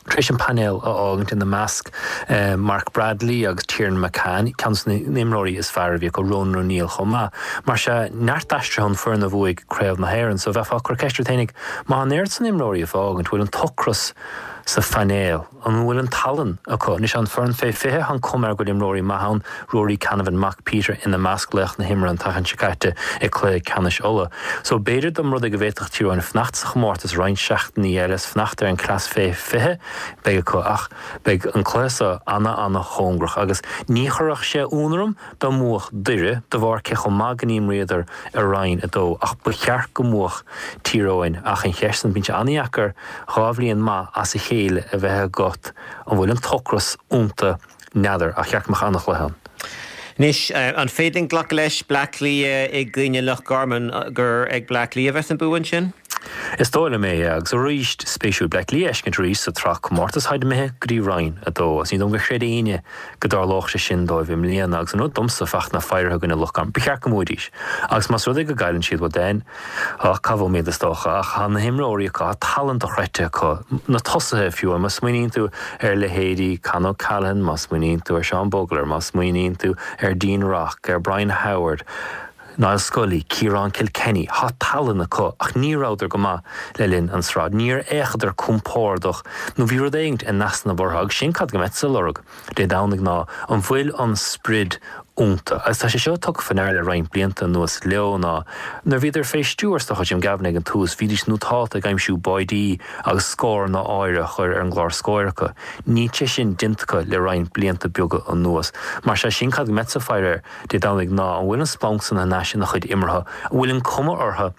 Tar éis an painéal a fhágaint ina measc eh, Mark Bradley agus Tiernan McCann, ceann de na n-imreoirí is fearr a bhí acu Ronan O'Neill chomh maith. Mar sea neart aistrithe ón foireann a bhuaigh Craobh na hÉireann, so bheifeá ag cur ceist ort fhéinig má an oiread san imreoirí a fhágaint bhfuil an t-ocras sa phainéal, an bhfuil an tallann acu. Anois an foireann fé fiche an cuma air go bhfuil imreoirí maithe ann, Rory Canavan mac Peter ina measc laoch na himeartha an tseachtain seo caite i gcluiche ceannais Uladh. So b'fhéidir dá mba rud é go bhféadfadh Tír Eoghain fanacht sa chomórtas roinnt seachtainí eile is fanacht ar an cleas fé fiche beidh acu ach beidh an cluiche seo ana ana chóngarach agus ní chuirfeadh sé ionadh orm dá mbuafadh Doire de bharr cé chomh maith go n-imríodar i Roinn a dó ach ba cheart go mbuafadh Tír Eoghain ach an cheist an bíonn sé an-deacair dhá bhliain maith as a chéile a bheith agat an bhfuil an t-ocras iontu n'fheadar ach cheart go mbeadh an-chluiche ann. Anois an féidir linn glacadh leis Bleá Cliath i gcoinne Loch Garman gur ag Bleá Cliath a bheas an bua ansin? Is dóigh liom é agus arís spéisiúil Bleá Cliath a fheiscint arís sa tsraith comórtas tháid imithe go dtí Roinn a dó agus ní dóigh liom gur chreid éinne go dtarlódh sé sin dóibh i mbliana agus an rud domsa Fachtna féirithe i gcoinne Loch Garman ba cheart go mbuafaidís agus más rud é go gcailleann siad well then ach cá bhfuil iad is dócha ach tá na himreoirí acu tá tallann dochreidte acu na tosaithe fiú má smaoiníonn tú ar leithéidí Con O'Callaghan má smaoiníonn tú ar Seán Bugler má smaoiníonn tú ar Dean Rock ar Brian Howard Niall Scully, Ciarán Kilkenny, tá tallann acu ach ní rabhadar go maith le linn an sraith. Níor fhéachadar compordach nó bhí rud éigin in easnamh orthu agus sin cad go mbeadsa ag lorg Dé Domhnaigh ná an bhfuil an sprid iontu. Agus tá sé seo tugtha faoi ndeara le roinnt blianta anuas leo ná nuair bhíodar fé stiúir is dócha Jim Gavin ag an tús, bhídís nótálta ag aimsiú báidí agus scóranna áirithe a chur ar an gclár scóir acu. Níl sé sin déanta acu le roinnt blianta beaga anuas. Mar sea sin cad go mbeadsa ag faire air Dé Domhnaigh ná an bhfuil an splanc san thar n-ais ina chuid imeartha, an bhfuil an cuma orthu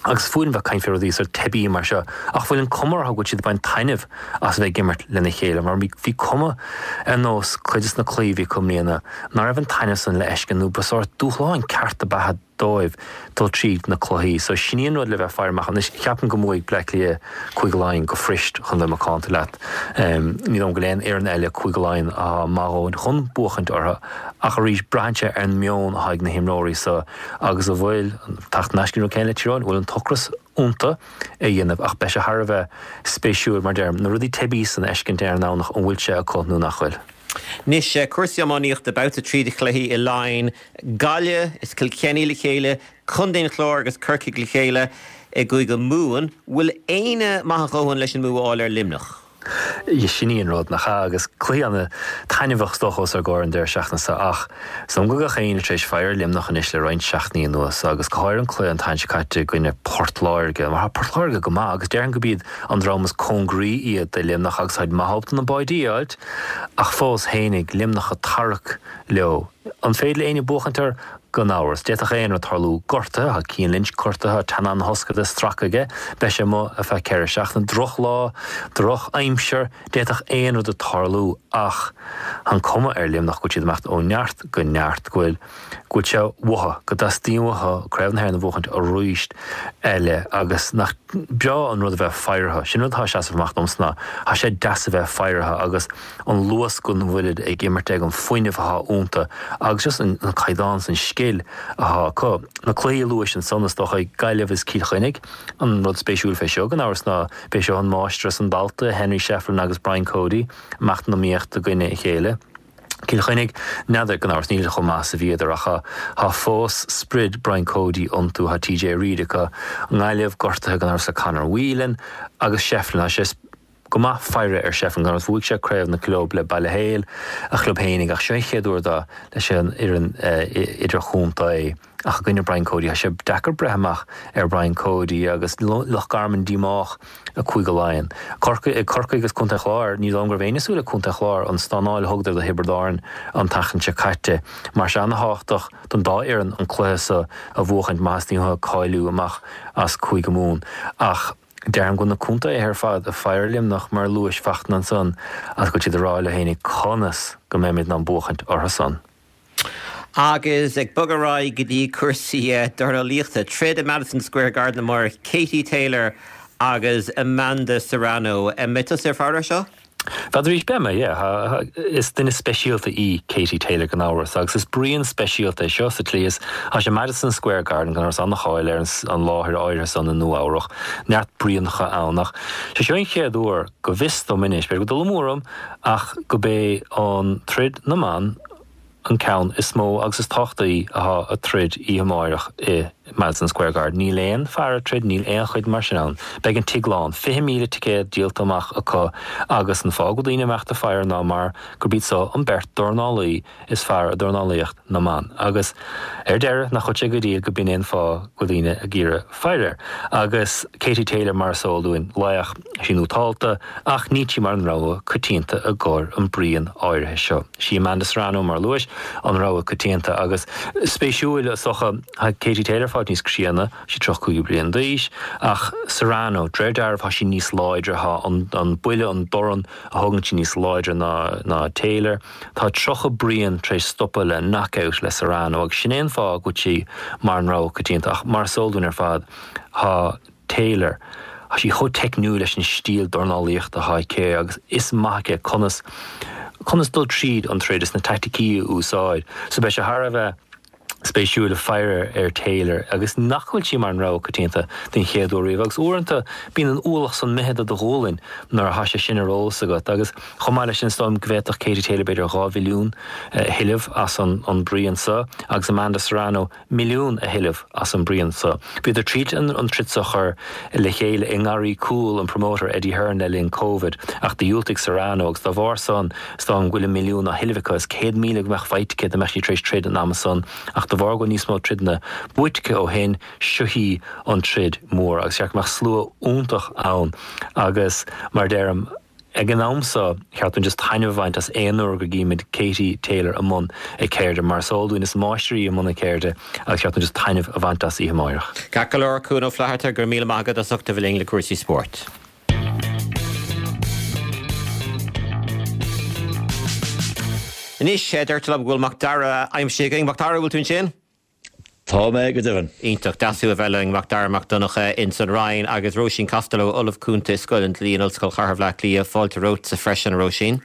agus fuath liom bheith ag caint fé rudaí sórt teibí mar seo, ach bhfuil an cuma orthu go bhfuil siad ag baint taitneamh as a bheith ag imirt lena chéile, mar bhí cuma ar nós cuid de na cluichí a bhí acu i mbliana ná raibh an taitneamh san le fheiscint nó ba sórt dúshlán ceart ab ea dóibh dul tríd na cluichí. So sin í an rud le bheith faire amach. Anois, ceapaim go mbuafaidh Bleá Cliath Cúige Laighean go fuirist chun bheith macánta leat. Ní dóigh liom go bhfuil aon fhoireann eile Cúige Laighean atá maith a dhóthain chun buachaint orthu ach arís braitheann sé ar an meon atá ag na himreoirí so agus an bhfuil, teacht in aisce an rud céanna le Tír Eoghain, an bhfuil an t-ocras iontu a dhéanamh ach beidh sé thar a bheith spéisiúil mar deirim, na rudaí teibí san a fheiscint ar an nDomhnach an bhfuil sé acu nó nach bhfuil. Anois, cúrsaí iománaíochta, babhta trí de chluichí i Laighin, Gaillimh is Kilkenny le chéile, Contae an Chláir agus Corcaigh le chéile i gCúige Mumhan. Bhfuil éinne maith a dhóthain leis an mbua a fháil ar Luimneach? Sin í an rud, nach ea? Agus cluiche ana-thaitneamhach is dócha os ár gcomhair an deireadh seachtaine seo ach is dóigh liom go bhfuil gach éinne tar éis faire ar Luimneach anois le roinnt seachtainí anuas agus go háirithe an cluiche an tseachtain seo caite i gcoinne Port Láirge mar tá Port Láirge go maith agus déarfainn gurb iad an dream is cóngaraí iad do Luimneach agus táid maith ábalta na báidí a fháilt ach fós fhéinig, Luimneach ag tarrac leo. An féidir le éinne buachaint orthu? Gan amhras. D'fhéadfadh aon rud tarlú. Gortuithe, tá Cian Lynch gortaithe, tá teannán na hoscairde stractha aige, beidh sé amuigh ar feadh ceithre seachtaine. Droch-lá, droch-aimsir, d'fhéadfadh aon rud tarlú ach tá an cuma ar Luimneach go bhfuil siad ag imeacht ó neart go neart, go bhfuil, go bhfuil sé uathu, go dteastaíonn uathu Craobh na hÉireann a bhuachaint arís eile agus nach breá an rud a bheith ag faire orthu. Sin rud atá ag seasamh amach domsa ná tá sé deas a bheith ag faire orthu agus an luas go bhfuilid ag imirt ag, an fuinneamh atá iontu agus just an caighdeán is an scil atá acu. Na cluichí a luais ansan is dócha Gaillimh is Cill Chainnigh. An rud spéisiúil fé seo gan amhras ná b'é seo an máistir is an dalta, Henry Shefflin agus Brian Cody, amach san iomaíocht i gcoinne a chéile. Cill Chainnigh, n'fheadar, gan amhras, níl siad chomh maith is a bhíodar ach tá fós sprid Brian Cody iontu, tá TJ Reid acu, an Ghaillimh gortaithe gan amhras le Conor Whelan agus Shefflin, tá sé go maith faire ar Shefflin, gan amhras, bhuaigh sé craobh na gclub le Baile Héil, a chlub fhéinig, ach seo an chéad uair dó leis an fhoireann idirchontae. Ach i gcoinne Brian Cody, tá sé deacair breith amach ar Brian Cody agus Loch Garman díomách i gCúige Laighean. Corcaigh, Corcaigh agus Contae an Chláir, ní dóigh liom go raibh éinne ag súil le Contae an Chláir an stánáil a thugadar do Thiobraid Árann an tseachtain seo caite. Mar sin ana-thábhachtach don dá fhoireann an cluiche seo a bhuachaint má theastaíonn uathu cáiliú amach as Cúige Mumhan. Ach deirim go bhfuil na contaetha ar fad ag faire ar Luimneach mar luais Fachtna ansan agus go bhfuil siad ag rá leo fhéinig conas go mbeimid in ann buachaint orthu san. Agus ag bogadh ar aghaidh go dtí cúrsaí dornálaíochta, troid i Madison Square Garden amárach, Katie Taylor agus Amanda Serrano. An mbeidh tusa ag faire air seo? N'fheadar arís, beidh mé, yeah. Is duine speisialta í Katie Taylor gan amhras agus is bruíon speisialta é seo sa tslí is tá sé Madison Square Garden gan amhras an-cháil ar an láthair áirithe san i Nua-Eabhrac, neart bruíonacha ann ach sé seo an chéad uair go bhfios dom anois, b'fhéidir go bhfuil dul amú orm ach go b'é an troid na mban an ceann is mó agus is tábhachtaí atá ag troid oíche amáireach i Madison Square Garden. Níl aon fear ag troid, níl aon chuid mar sin ann. Beidh an tigh lán, fiche míle ticéad díolta amach acu agus an fáth go bhfuil daoine ag imeacht ag faire ná mar gurb iad so an beirt dornálaí is fearr i dornálaíocht na mban. Agus ar deireadh, nach bhfuil sé go diail go b'in é an fáth go bhfuil daoine ag iarraidh faire air. Agus Katie Taylor mar is eol dúinn, laoch, sí nótálta ach níl sí mar an rogha coitianta i gcomhair an bruíon áirithe seo. Sí Amanda Serrano, mar a luais, an rogha coitianta agus spéisiúil is dócha, tá Katie Taylor fáil níos críonna, sí tríocha cúig bliain d'aois, ach Serrano, de réir dealraimh, tá sí níos láidre, tá an buille, an dorn a thugann sí níos láidre ná ná Taylor. Tá tríocha bruíon tar éis stopadh le knockout le Serrano agus sin é an fáth go bhfuil sí mar an rogha coitianta ach mar is eol dúinn ar fad, tá Taylor, tá sí chomh teicniúil leis an stíl dornálaíochta atá aici agus is maith aici conas conas dul tríd an troid is na taicticí a úsáid. So beidh sé thar a bheith spéisiúil faire ar Taylor agus nach bhfuil sí mar an rogha coitianta den chéad uair riamh agus uaireanta bíonn an ualach san imithe de do ghualainn nuair atá sé sin ar eolas agat agus chomh maith leis sin is dóigh liom go bhféadfadh Katie Taylor b'fhéidir dhá mhilliún a thuilleamh as an an bruíon seo agus Amanda Serrano milliún a thuilleamh as an bruíon so. Bhíodar tríd an troid so a chur le chéile i ngarraí cúil an promoter Eddie Hearn le linn Covid ach do dhiúltaigh Serrano agus dá bharr san is dóigh liom go bhfuil an milliún á thuilleamh aici is céad míle go mbeadh faighte aici dá mbeadh sí tar éis troid an ama san ach de bharr go bhfuil níos mó troideanna buaite aici ó shin seo í an troid mór agus cheart go mbeadh slua iontach ann agus mar deirim Ag an am seo, cheart dúinn just taitneamh a bhaint as aon uair go gcímid Katie Taylor i mbun a ceirde. Mar is eol dúinn, is máistir í i mbun a ceirde agus cheart dúinn just taitneamh a bhaint as oíche amáireach. Ceart go leor, Cuan Ó Flatharta, go raibh míle maith agat as ucht a bheith linn le cúrsaí spóirt. Anois, deirtear liom go bhfuil Mac Dara aimsithe againn. Mac Dara, bhfuil tú ansin? Tá mé go deimhin. Iontach deas thú a bheith linn, Mac Dara Mac Donncha ins an Rinn agus Róisín Costello, Ollamh Cúnta i Scoil an Dlí in Ollscoil Chathair Bhaile Átha Cliath. Fáilte romhatsa freisin, a Róisín.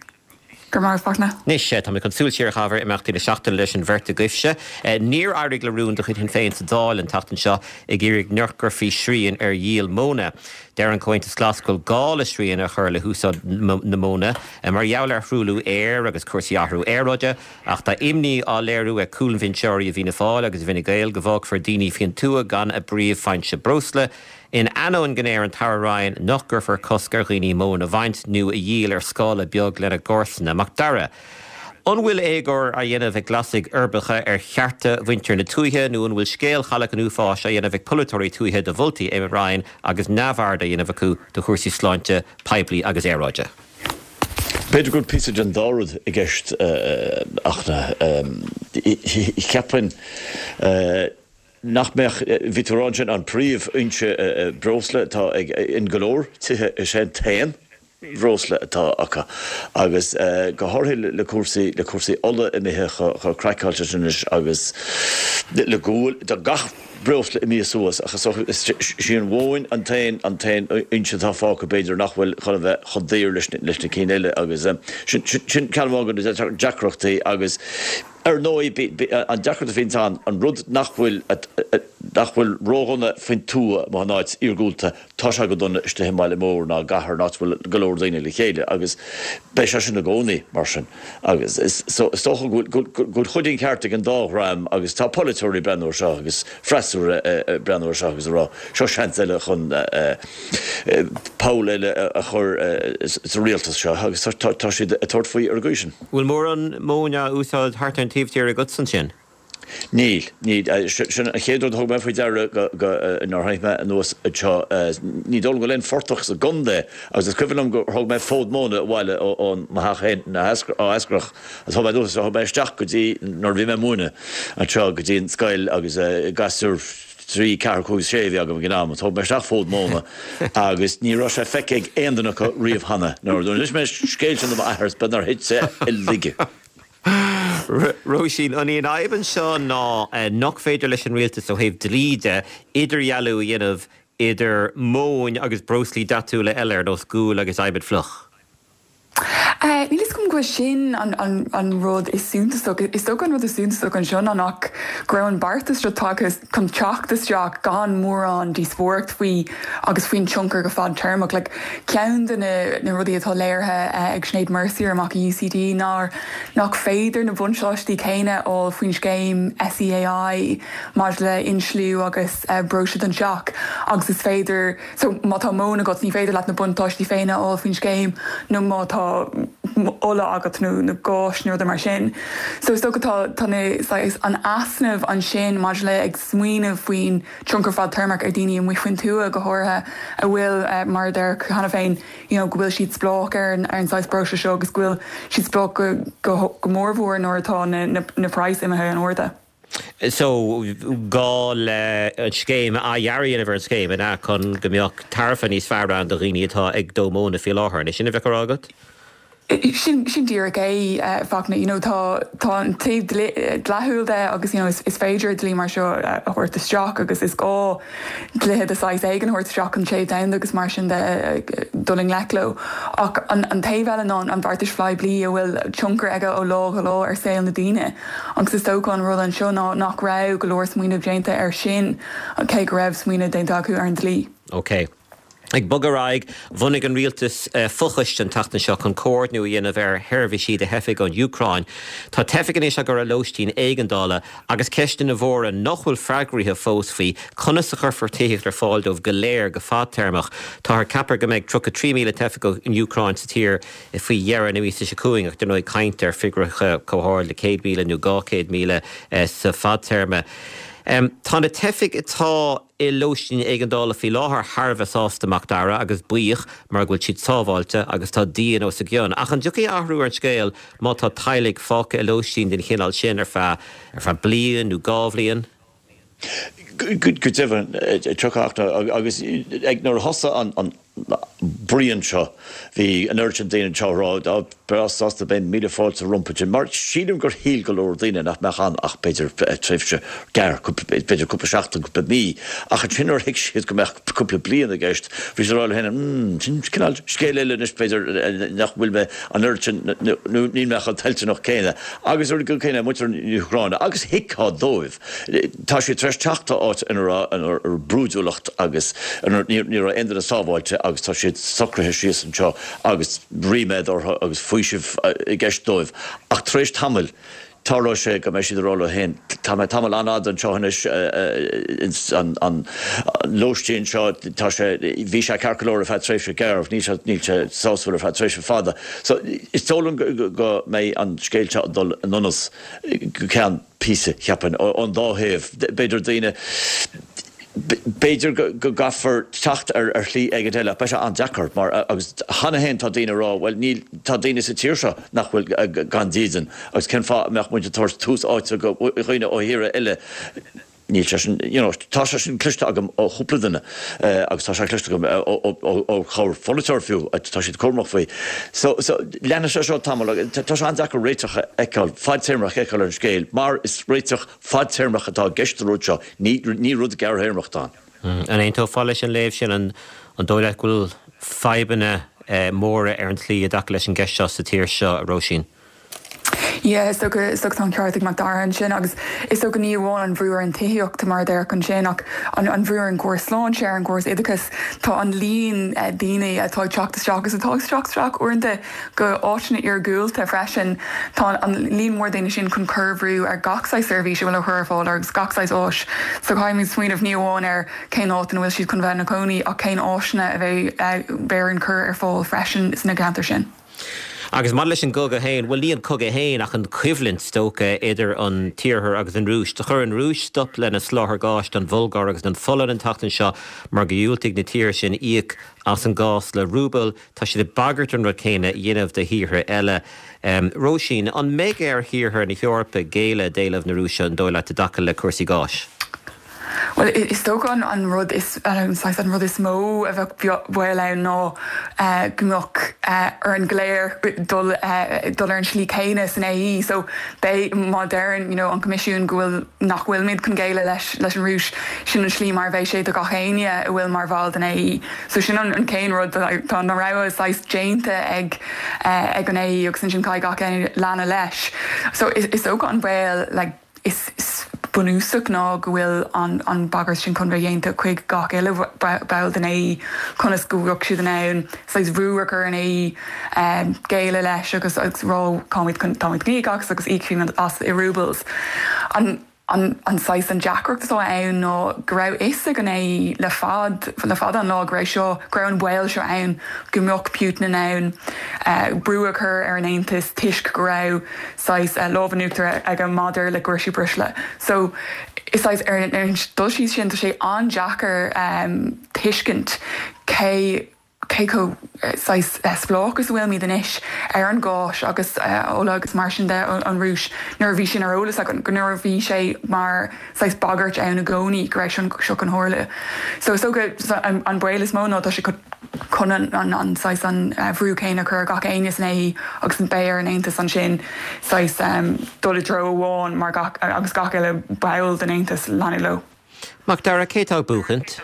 Go raibh maith agat, Fachtna. Anois, tá mé chun súil siar a chaitheamh ar imeachtaí na seachtaine leis an bheirt agaibhse. Níor éirigh le rún de chuid Shinn Féin sa Dáil an tseachtain seo ag iarraidh nach gcuirfí srian ar dhíol móna. Deir an Comhaontas Glas go bhfuil gá le srian a chur le húsáid na móna mar gheall ar thruailliú aeir agus cúrsaí athrú aeráide, ach tá imní á léiriú ag cúilbhinseoirí i bhFianna Fáil agus i bhFine Gael go bhfágfar daoine faoin tuath gan a bpríomhfhoinse breosla. In ainneoin go ndeir an tAire Ryan nach gcuirfear cosc ar dhaoine móin a bhaint nó a dhíol ar scála beag lena gcomharsana. Mac Dara, An bhfuil éagóir á dhéanamh ag Glasaigh uirbeacha ar chearta mhuintir na tuaithe nó an bhfuil scéal Chailleach an Uafáis á dhéanamh ag polaiteoirí tuaithe de mholtaí Eamon Ryan agus neamhaird á dhéanamh acu de chúrsaí sláinte poiblí agus aeráide? B'fhéidir go bhfuil píosa den dá rud i gceist, a Fhachtna. Cheapfainn nach mbeadh, bhí tú ag rá ansin, an príomhfhoinse breosla atá ag in go leor tithe is é an t-aon bhreosla atá acu agus go háirithe le cúrsaí le cúrsaí ola imithe chomh craiceáilte sin anois agus le gual tá gach breosla imithe suas ach is dócha is í an mhóin an t-aon an t-aon fhoinse atá fágtha b'fhéidir nach bhfuil chun a bheith chomh daor leis leis na cinn eile agus sin sin ceann amháin de na deacrachtaí agus ar ndóigh an deacracht a bhíonns ann an rud nach bhfuil nach bhfuil ródhona faoin tuath amuigh in áit iargúlta, tá sé go dona istigh i mbaile mór ná i gcathair, in áit a bhfuil go leor daoine le chéile agus beidh sé sin i gcónaí mar sin. Agus is so is dócha go bhfuil go bhfuil chuid den cheart ag an dá dhream agus tá polaiteoirí ag breathnú air seo agus freasúra ag breathnú air seo agus ag rá seo seans eile chun poll eile a chur sa rialtas seo agus tá siad ag tabhairt faoi ar an gcaoi sin. Bhfuil mórán móin á úsáid thart ar an taobh thiar agatsa ansin? Níl, níl. Sin an chéad rud a thug mé faoi deara nuair a tháinig mé anuas anseo. Ní dóigh liom go bhfuil aon phortach sa gcontae agus is cuimhin liom gur thug mé fód móna abhaile ó mo theach féin ó Eascarrach agus thug mé anuas, thug mé isteach go dtí nuair a bhí mé ag múineadh anseo go dtí an scoil agus gasúir trí, ceathair, cúig, sé a bhí agam ag an am. Thug mé isteach fód móna agus ní raibh sé feicthe ag aon duine acu riamh cheana. Nuair a d'inis mé an scéal sin do m'athair is beag nár thit sé i laige. Róisín, an í an fhadhb anseo ná nach féidir leis an rialtas ó thaobh dlí de idirdhealú a dhéanamh idir móin agus breoslaí dathúla eile ar nós gual agus adhmad fliuch? Níl fhios agam go bhfuil sin an rud is suntasach. Is dócha an rud is suntasach anseo ná nach go raibh an beartas seo tagtha chun teacht isteach gan mórán díospóireacht faoi agus faoin tionchar go fadtéarmach. Like, ceann de na rudaí atá léirithe ag Sinéad Mercier amach i U C D ná nach féidir na buntáistí céanna a fháil faoin scéim S E A I maidir le insliú agus breosla don teach agus is féidir so má tá móin agat ní féidir leat na buntáistí féin a fháil faoin scéim nó má tá ola agat nó na gáis nó mar sin. So is dócha tá tá an easnamh ansin maidir le ag smaoineamh faoin tionchar fadtéarmach ar daoine amuigh faoin tuath go háirithe a bhfuil uh, mar deir cheana féin you know, go bhfuil siad spleách ar an ar an saghas breosla seo agus go bhfuil siad spleách go, go, go mórmhór nuair atá na, na, na praghas imithe in airde. So gá le an scéim a dhearadh ar an scéim ina chun go mbeadh tairbhe níos fearr ann do dhaoine atá ag dó móna faoi láthair, sin a bheith agat? Sin sin díreach é uh, Fachtna you know, tá tá an taobh dlíthiúil de agus you know, is, is féidir dlí mar seo a thabhairt isteach agus is gá dlíthe de shaghas éigin a thabhairt isteach an téamh domhanda agus mar sin de dul i ngleic leo. Ach an, an taobh eile ná an bheartais phoiblí a bhfuil tionchar aige ó lá go lá ar saol na daoine. Agus is dócha an rud anseo ná nach raibh go leor smaoineamh déanta ar sin cé go raibh smaoineamh déanta acu ar an dlí. Okay. Ag bogadh ar aghaidh, bhunaigh an rialtas uh, fochoiste an tseachtain seo chun comhordú a dhéanamh ar sheirbhísí do theifigh ón Úcráin. Tá teifigh anois á gcur i lóistín éigeandála agus ceisteanna mhóra nach bhfuil freagraithe fós faoi conas a chuirfear tithíocht ar fáil dóibh go léir go fadtéarmach. Tá ceaptha go mbeidh tríocha trí míle teifeach ón Úcráin sa tír faoi dheireadh na míosa seo chugainn ach dar ndóigh caint ar figiúirí chomh hard le céad míle nó dhá chéad míle eh, sa fadtéarma. Um, tá na teifigh atá i lóistín éigeandála faoi láthair thar a bheith sásta Mac Dara agus buíoch mar go bhfuil siad sábháilte agus tá díon os a gcionn. Ach an dtiocfaidh athrú ar an scéal má tá teaghlaigh fágtha i lóistín den chineál sin ar feadh ar feadh bliain nó dhá bhliain? Go deimhin tiocfaidh agus ag nuair a thosaigh an bruíon seo, bhí an oiread sin daoine anseo ag rá, Á, breá sásta, beidh míle fáilte rompu sin, mar sílim gur shíl go leor daoine nach mbeadh ann ach b'fhéidir tréimhse gearr, b'fhéidir cúpla seachtain, cúpla mí, ach ansin nuair a thuig siad go mbeadh cúpla bliain i gceist, bhí siad ag rá leo féin, Hmm, sin cineál scéal eile anois, b'fhéidir nach bhfuil mé an oiread sin, nó níl mé chomh toilteanach céanna. Agus ar an gcaoi chéanna, muintir na hÚcráine, agus thuigfeá dóibh, tá siad tar éis teacht ó áit ina raibh brúidiúlacht agus ina ní raibh aon duine sábháilte agus tá siad socraithe síos anseo agus ríméad orthu agus faoiseamh i gceist dóibh. Ach tar éis tamaill, tarlóidh sé go mbeidh siad ag rá leo féin, tá mé tamall an-fhada anseo anois ins an lóistín seo, tá sé, bhí sé ceart go leor ar feadh tréimhse gearr, níl sé, níl sé sásúil ar feadh tréimhse fada. So, is dóigh liom go mbeidh an scéal seo ag dul in donas go ceann píosa, cheapfainn, ón dá thaobh. B'fhéidir daoine, b'fhéidir go gcaithfear teacht ar shlí éigin eile ach beidh sé an-deacair mar, agus cheana féin tá daoine ag rá, bhuel níl, tá daoine sa tír seo nach bhfuil gan dídean agus cén fáth a mbeadh muid ag tabhairt tús áite do dhaoine ó thíortha eile? Níl sé sin, you know, tá sé sin cloiste agam ó chúpla duine agus tá sé cloiste agam ó chorr-pholaiteoir fiú, tá siad cúramach faoi. So, so, leanfaidh sé seo tamall agus tá sé an-deacair réiteach a fheiceáil, fadtéarmach a fheiceáil ar an scéal mar is réiteach fadtéarmach atá i gceist sa rud seo, ní rud gearrthéarmach atá ann. An aontófá leis an léamh sin? An dóigh leat go bhfuil fadhbanna móra ar an tslí i dtaca leis an gceist seo sa tír seo, a Róisín? Yeah, is dócha, is dócha tá an ceart ag Mac Dara ansin agus is dócha ní amháin an bhrú ar an tithíocht mar a déarfá ansin ach an an bhrú ar an gcóras sláinte, ar an gcóras oideachais, tá an líon daoine atá ag teacht isteach agus atá ag teacht isteach uaireanta go áiteanna iargúlta freisin. Tá an líon mór daoine sin chun cur brú ar gach saghas seirbhís a bhfuil á chur ar fáil agus gach saghas áis. So caithfimid smaoineamh ní amháin ar cén áit ina bhfuil siad chun bheith ina gcónaí ach cén áiseanna a bheidh beidh orainn cur ar fáil freisin sna ceantair sin. Agus maidir leis an gcogadh féin, bhuel ní an cogadh féin ach an choimhlint, is dócha, idir an tIarthar agus an Rúis. Do chuir an Rúis stop lena soláthar gáis don Bhulgáir agus don Pholainn an tseachtain seo mar go dhiúltaigh na tíortha sin íoc as an gás le rúbail. Tá siad ag bagairt an rud céanna a dhéanamh do thíortha eile. Róisín, an mbeidh ar thíortha na hEorpa géilleadh d'éileamh na Rúise, an dóigh leat, i dtaca le cúrsaí gáis? Bhuel, is dócha an an rud is saghas an rud is mó a bheadh baol ann ná go mbeadh orainn go léir dul dul ar an slí céanna san AE. So beidh má deireann you know an Coimisiún go bhfuil nach bhfuilimid chun géilleadh leis leis an Rúis, sin an slí mar a bheidh sé do gach éinne a bhfuil mar bhall den AE. So sin an an chéad rud tá na rogha saghas déanta ag ag an AE agus ansin caithfidh gach éinne leanadh leis. So is is dócha an baol like is bunúsach ná go bhfuil an an bagairt sin chun bheith déanta chuig gach uile ball den AE conas go bhfuil siad in ann saghas brú a chur ar an AE géilleadh leis agus agus rá táimid chun táimid chun íoc as agus íocfaimid as i roubles. An an an saghas an deacracht atá ann ná go raibh fhios ag an AE le fad le fada an lá go raibh seo go raibh an baol seo ann go mbeadh Putin in ann brú a chur ar an Aontas toisc go raibh saghas lámh in uachtar aige maidir le cúrsaí breosla. So is saghas ar an dul síos sin tá sé an-deacair tuiscint cé cé chomh saghas spleách is a bhfuilimid anois ar an gás agus ola agus mar sin de ón Rúis nuair a bhí sin ar eolas againn, nuair a bhí sé mar saghas bagairt ann i gcónaí go raibh seo chun tarlú. So is dócha an baol is mó ná tá sé chun an saghas an bhrú céanna a chur ar gach éinne san AE agus beidh ar an Aontas ansin saghas dul i dtreo amháin mar gach agus gach uile ball den Aontas leanadh leo. Mac Dara, cé atá ag buachaint?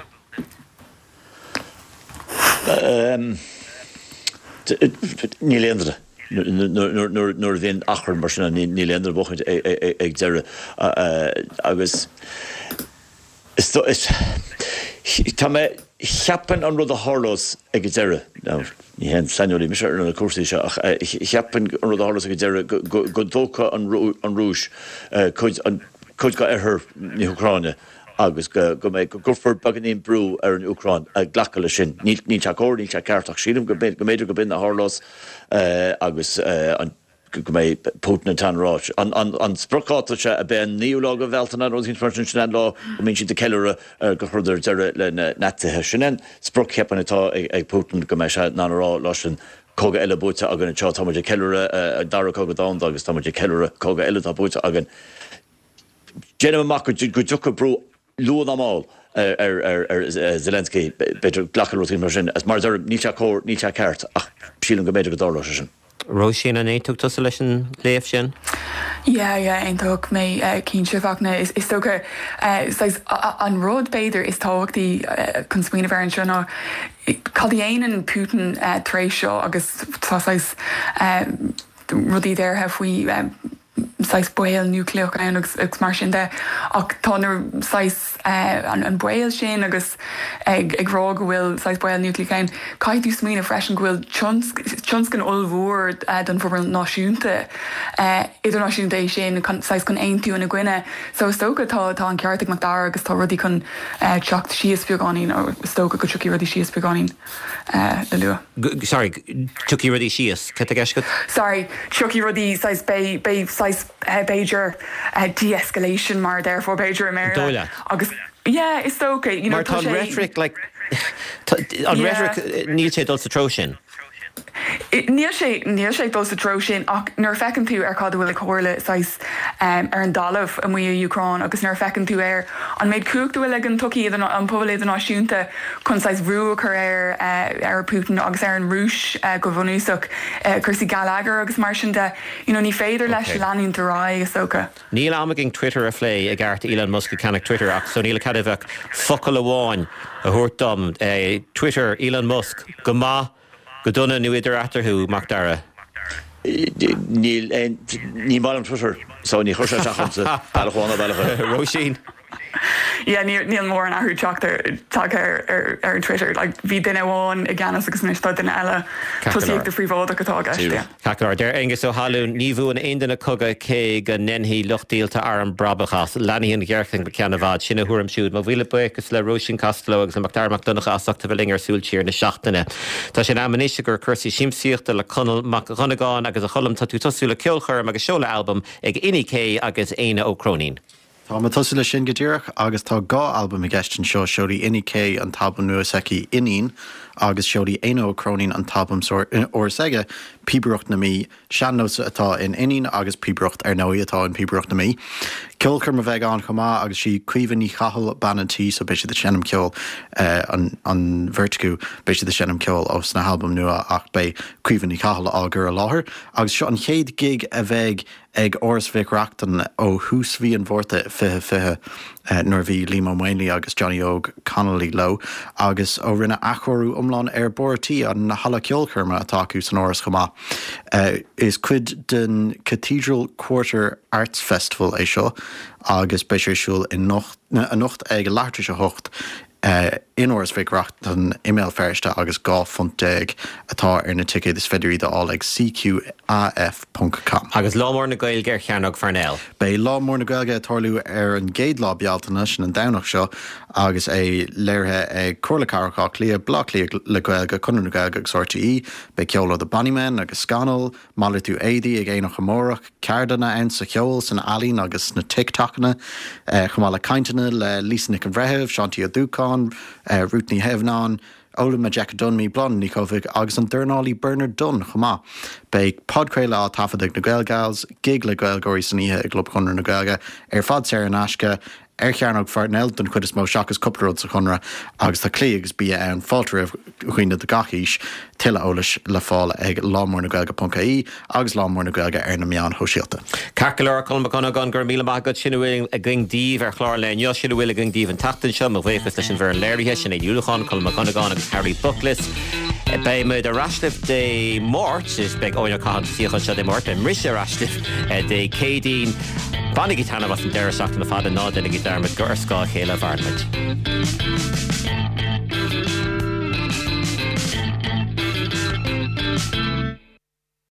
Níl aon duine. Nuair a bhíonn achrann mar sin ann, níl aon duine ag buachaint ag deireadh. Agus tá mé, cheapfainn an rud a tharlós ag an deireadh, now ní haon saineolaí mise ar na cúrsaí seo ach cheapfainn an rud a tharlós ag an deireadh go dtógfaidh an Rúis cuid d'oirthear na hÚcráine agus go go mbeidh, go gcuirfear beagáinín brú ar an Úcráin glacadh leis sin. Níl, níl sé cóir, níl sé ceart ach sílim go mb'fhéidir go b'in a tharlós agus an, go mbeidh Putin in ann a rá. An, an, an spriocdháta seo ab é an naoú lá de Bhealtaine nó rud éicint mar sin, sin an lá go mbíonn siad ag ceiliúradh gur chuireadar deireadh le na Naitsithe. Sin an sprioc cheapfainn atá ag, ag Putin go mbeidh sé in ann a rá lá sin cogadh eile buaite againn anseo, tá muid ag ceiliúradh an dara cogadh domhanda agus tá muid ag ceiliúradh cogadh eile atá buaite againn. Déanaim amach go dtiocfaidh brú luath nó mall ar ar ar Zelensky b'fhéidir glacadh rudaí mar sin. As mar níl sé cóir níl sé ceart ach sílim go mb'fhéidir go dtarlódh sé sin. Róisín an aontódh tusa leis an léamh sin? Yeah, yeah, aontódh mé uh, cinnte Fachtna is, is dócha uh, saghas, an rud b'fhéidir is tábhachtaí uh, chun smaoineamh air anseo ná cad a dhéanann Putin uh, tar éis seo agus tá saghas uh, rudaí deirthe faoi uh, saghas baol núicléach ann agus, agus mar sin de ach tá na saghas uh, an, an baol sin agus ag, ag rá go bhfuil saghas baol núicléach ann. Caithfidh tú smaoineamh freisin go bhfuil tionscnamh ollmhór uh, don phobal náisiúnta uh, idirnáisiúnta é sin saghas chun aontú ina gcoinne. So is dócha tá tá an ceart ag Macdara agus tá rudaí chun uh, teacht síos beagáinín ó is dócha go dtiocfaidh rudaí síos beagáinín uh, le luath. Sorry, tiocfaidh rudaí síos, cad é Sorry, tiocfaidh rudaí saghas beidh beidh saghas uh, b'fhéidir uh, de-escalation mar therefore b'fhéidir America agus yeah is okay you know Mar tá rhetoric like an rhetoric níl sé dul sa treo sin. Níl sé níl sé dul sa treo sin ach nuair a fheiceann tú ar cad bhfuil ag tarlú saghas um, ar an dtalamh amuigh i Úcráin agus nuair a fheiceann tú ar an méid cumhachta bhfuil ag an tsochaí an pobal idirnáisiúnta chun saghas brú a chur ar uh, ar Putin agus ar an Rúis uh, go bunúsach uh, cúrsaí geilleagair agus mar sin de you know, ní féidir leis okay. leanúint ar aghaidh is dócha. Níl am againn Twitter a phlé i gceart Elon Musk ag ceannach Twitter ach so níl cead ach focal amháin a thabhairt dom eh, Twitter Elon Musk go maith go dona nó idir eatarthu Macdara. Níl ní maith liom Twitter so ní chuir sé bealach bealach Róisín. Yeah, níl mórán athrú tagtha ar ar Twitter like, bhí duine amháin i gceannas agus anois tá duine eile tosaíocht phríobháideach atá aige. Ceart deir Aengus Ó hAlún ní bhuann aon duine cogadh cé go ndéanfaidh lucht díolta arm brabach as leanfaidh an ghéarchéim go ceann i bhfad sin a thuairim siúd mo mhíle buíochas le Róisín Costello agus le Macdara Mac Donncha as ucht a bheith linn ar Súil Siar na seachtaine. Tá sé in am anois gur cúrsaí siamsaíochta le Conall Mac Dhonnagáin agus a Choilm tá tú tosú le ceolchoirm agus seoladh albam ag Inni-K agus Éanna Ó Cróinín. Tá mé ag tosú le sin go díreach agus tá dhá albam i gceist anseo seolfaidh Inni-K an t-albam nua s'aici Iníon agus seolfaidh Éanna Ó Cróinín an t-albam úr s'aige Píobaireacht na Mí sean-nós atá in Iníon agus píobaireacht ar ndóigh atá in Píobaireacht na Mí. Ceolchoirm a bheidh ann chomh maith agus sí Caoimhe Ní Chathail bean an tí so beidh siad ag seinm ceoil eh, an, an bheirt acu beidh siad ag seinm ceoil ó sna halbaim nua ach beidh Caoimhe Ní Chathail á gcur i láthair agus seo an chéad gig a bheidh ag Áras Mhic Reachtain ó thús mhí an Mhárta fiche fiche eh, nuair a bhí Liam Ó Maonlaí agus Johnny Óg Connolly leo agus ó rinneadh athchóiriú iomlán ar barr tí an halla ceolchoirme atá acu san áras chomh maith. Uh, is cuid den Cathedral Quarter Arts Festival é seo agus beidh sé ar siúl anocht ag leathuair tar éis a hocht uh, in Áras Mhic Reachtain i mBéal Feirste agus dhá phunt déag atá ar na ticéid is féidir iad a fháil ag cqaf.com. Agus Lá Mór na Gaeilge ar Chearnóg Pharnell. Beidh Lá Mór na Gaeilge ag tarlú ar an gcéad lá Bealtaine sin an Domhnach seo agus é léirithe ag Comhairle Cathrach Átha Cliath, Baile Átha Cliath le Gaeilge, Conradh na Gaeilge agus RTÉ, beidh ceol ó The Bonnymen agus Scannal, malartú éadaí ag Aonach Amárach, ceardlanna ann sa cheol san ealaín agus sna TikTokanna, eh, chomh maith le cainteanna le Lisa Nic an Bhreithimh, Seán T. Ó Dúcháin, eh, Ruth Ní Theimhneáin, Ola Majekodunmi, Bláthnaid Ní Chofaigh agus an dornálaí Bernard Dunne chomh maith. Beidh podchraoladh á taifead ag na Gaelgals, gig le Gaeilgeoirí san oíche i gClub Chonradh na Gaeilge ar fad saor in aisce ar Chearnóg Pharnell don chuid is mó seachas cúpla rud sa Chonradh agus tá clí agus bia ann fáilte roimh dhaoine de gach aois tuilleadh eolais le fáil ag lámórnagaeilge.ie agus Lá Mór na Gaeilge ar na meáin shóisialta. Ceart go leor Colm Mac Dhonnagáin go raibh míle maith agat sin a bhfuil againn daoibh ar chlár an lae inniu sin a bhfuil againn daoibh an tseachtain seo mo bhuíochas leis an bhfoireann léirithe Sinéad Ní Uallacháin, Colm Mac Dhonnagáin agus Harry Bucklis. Beidh muid ar ais libh Dé Máirt is beidh Eoin Ó Catháin sa suíochán seo Dé Máirt beidh mise ar ais libh Dé Céadaoin. Bainigí taitneamh as an deireadh seachtaine fada ná déanaigí dearmad gur ar scáth a chéile a mhaireann muid.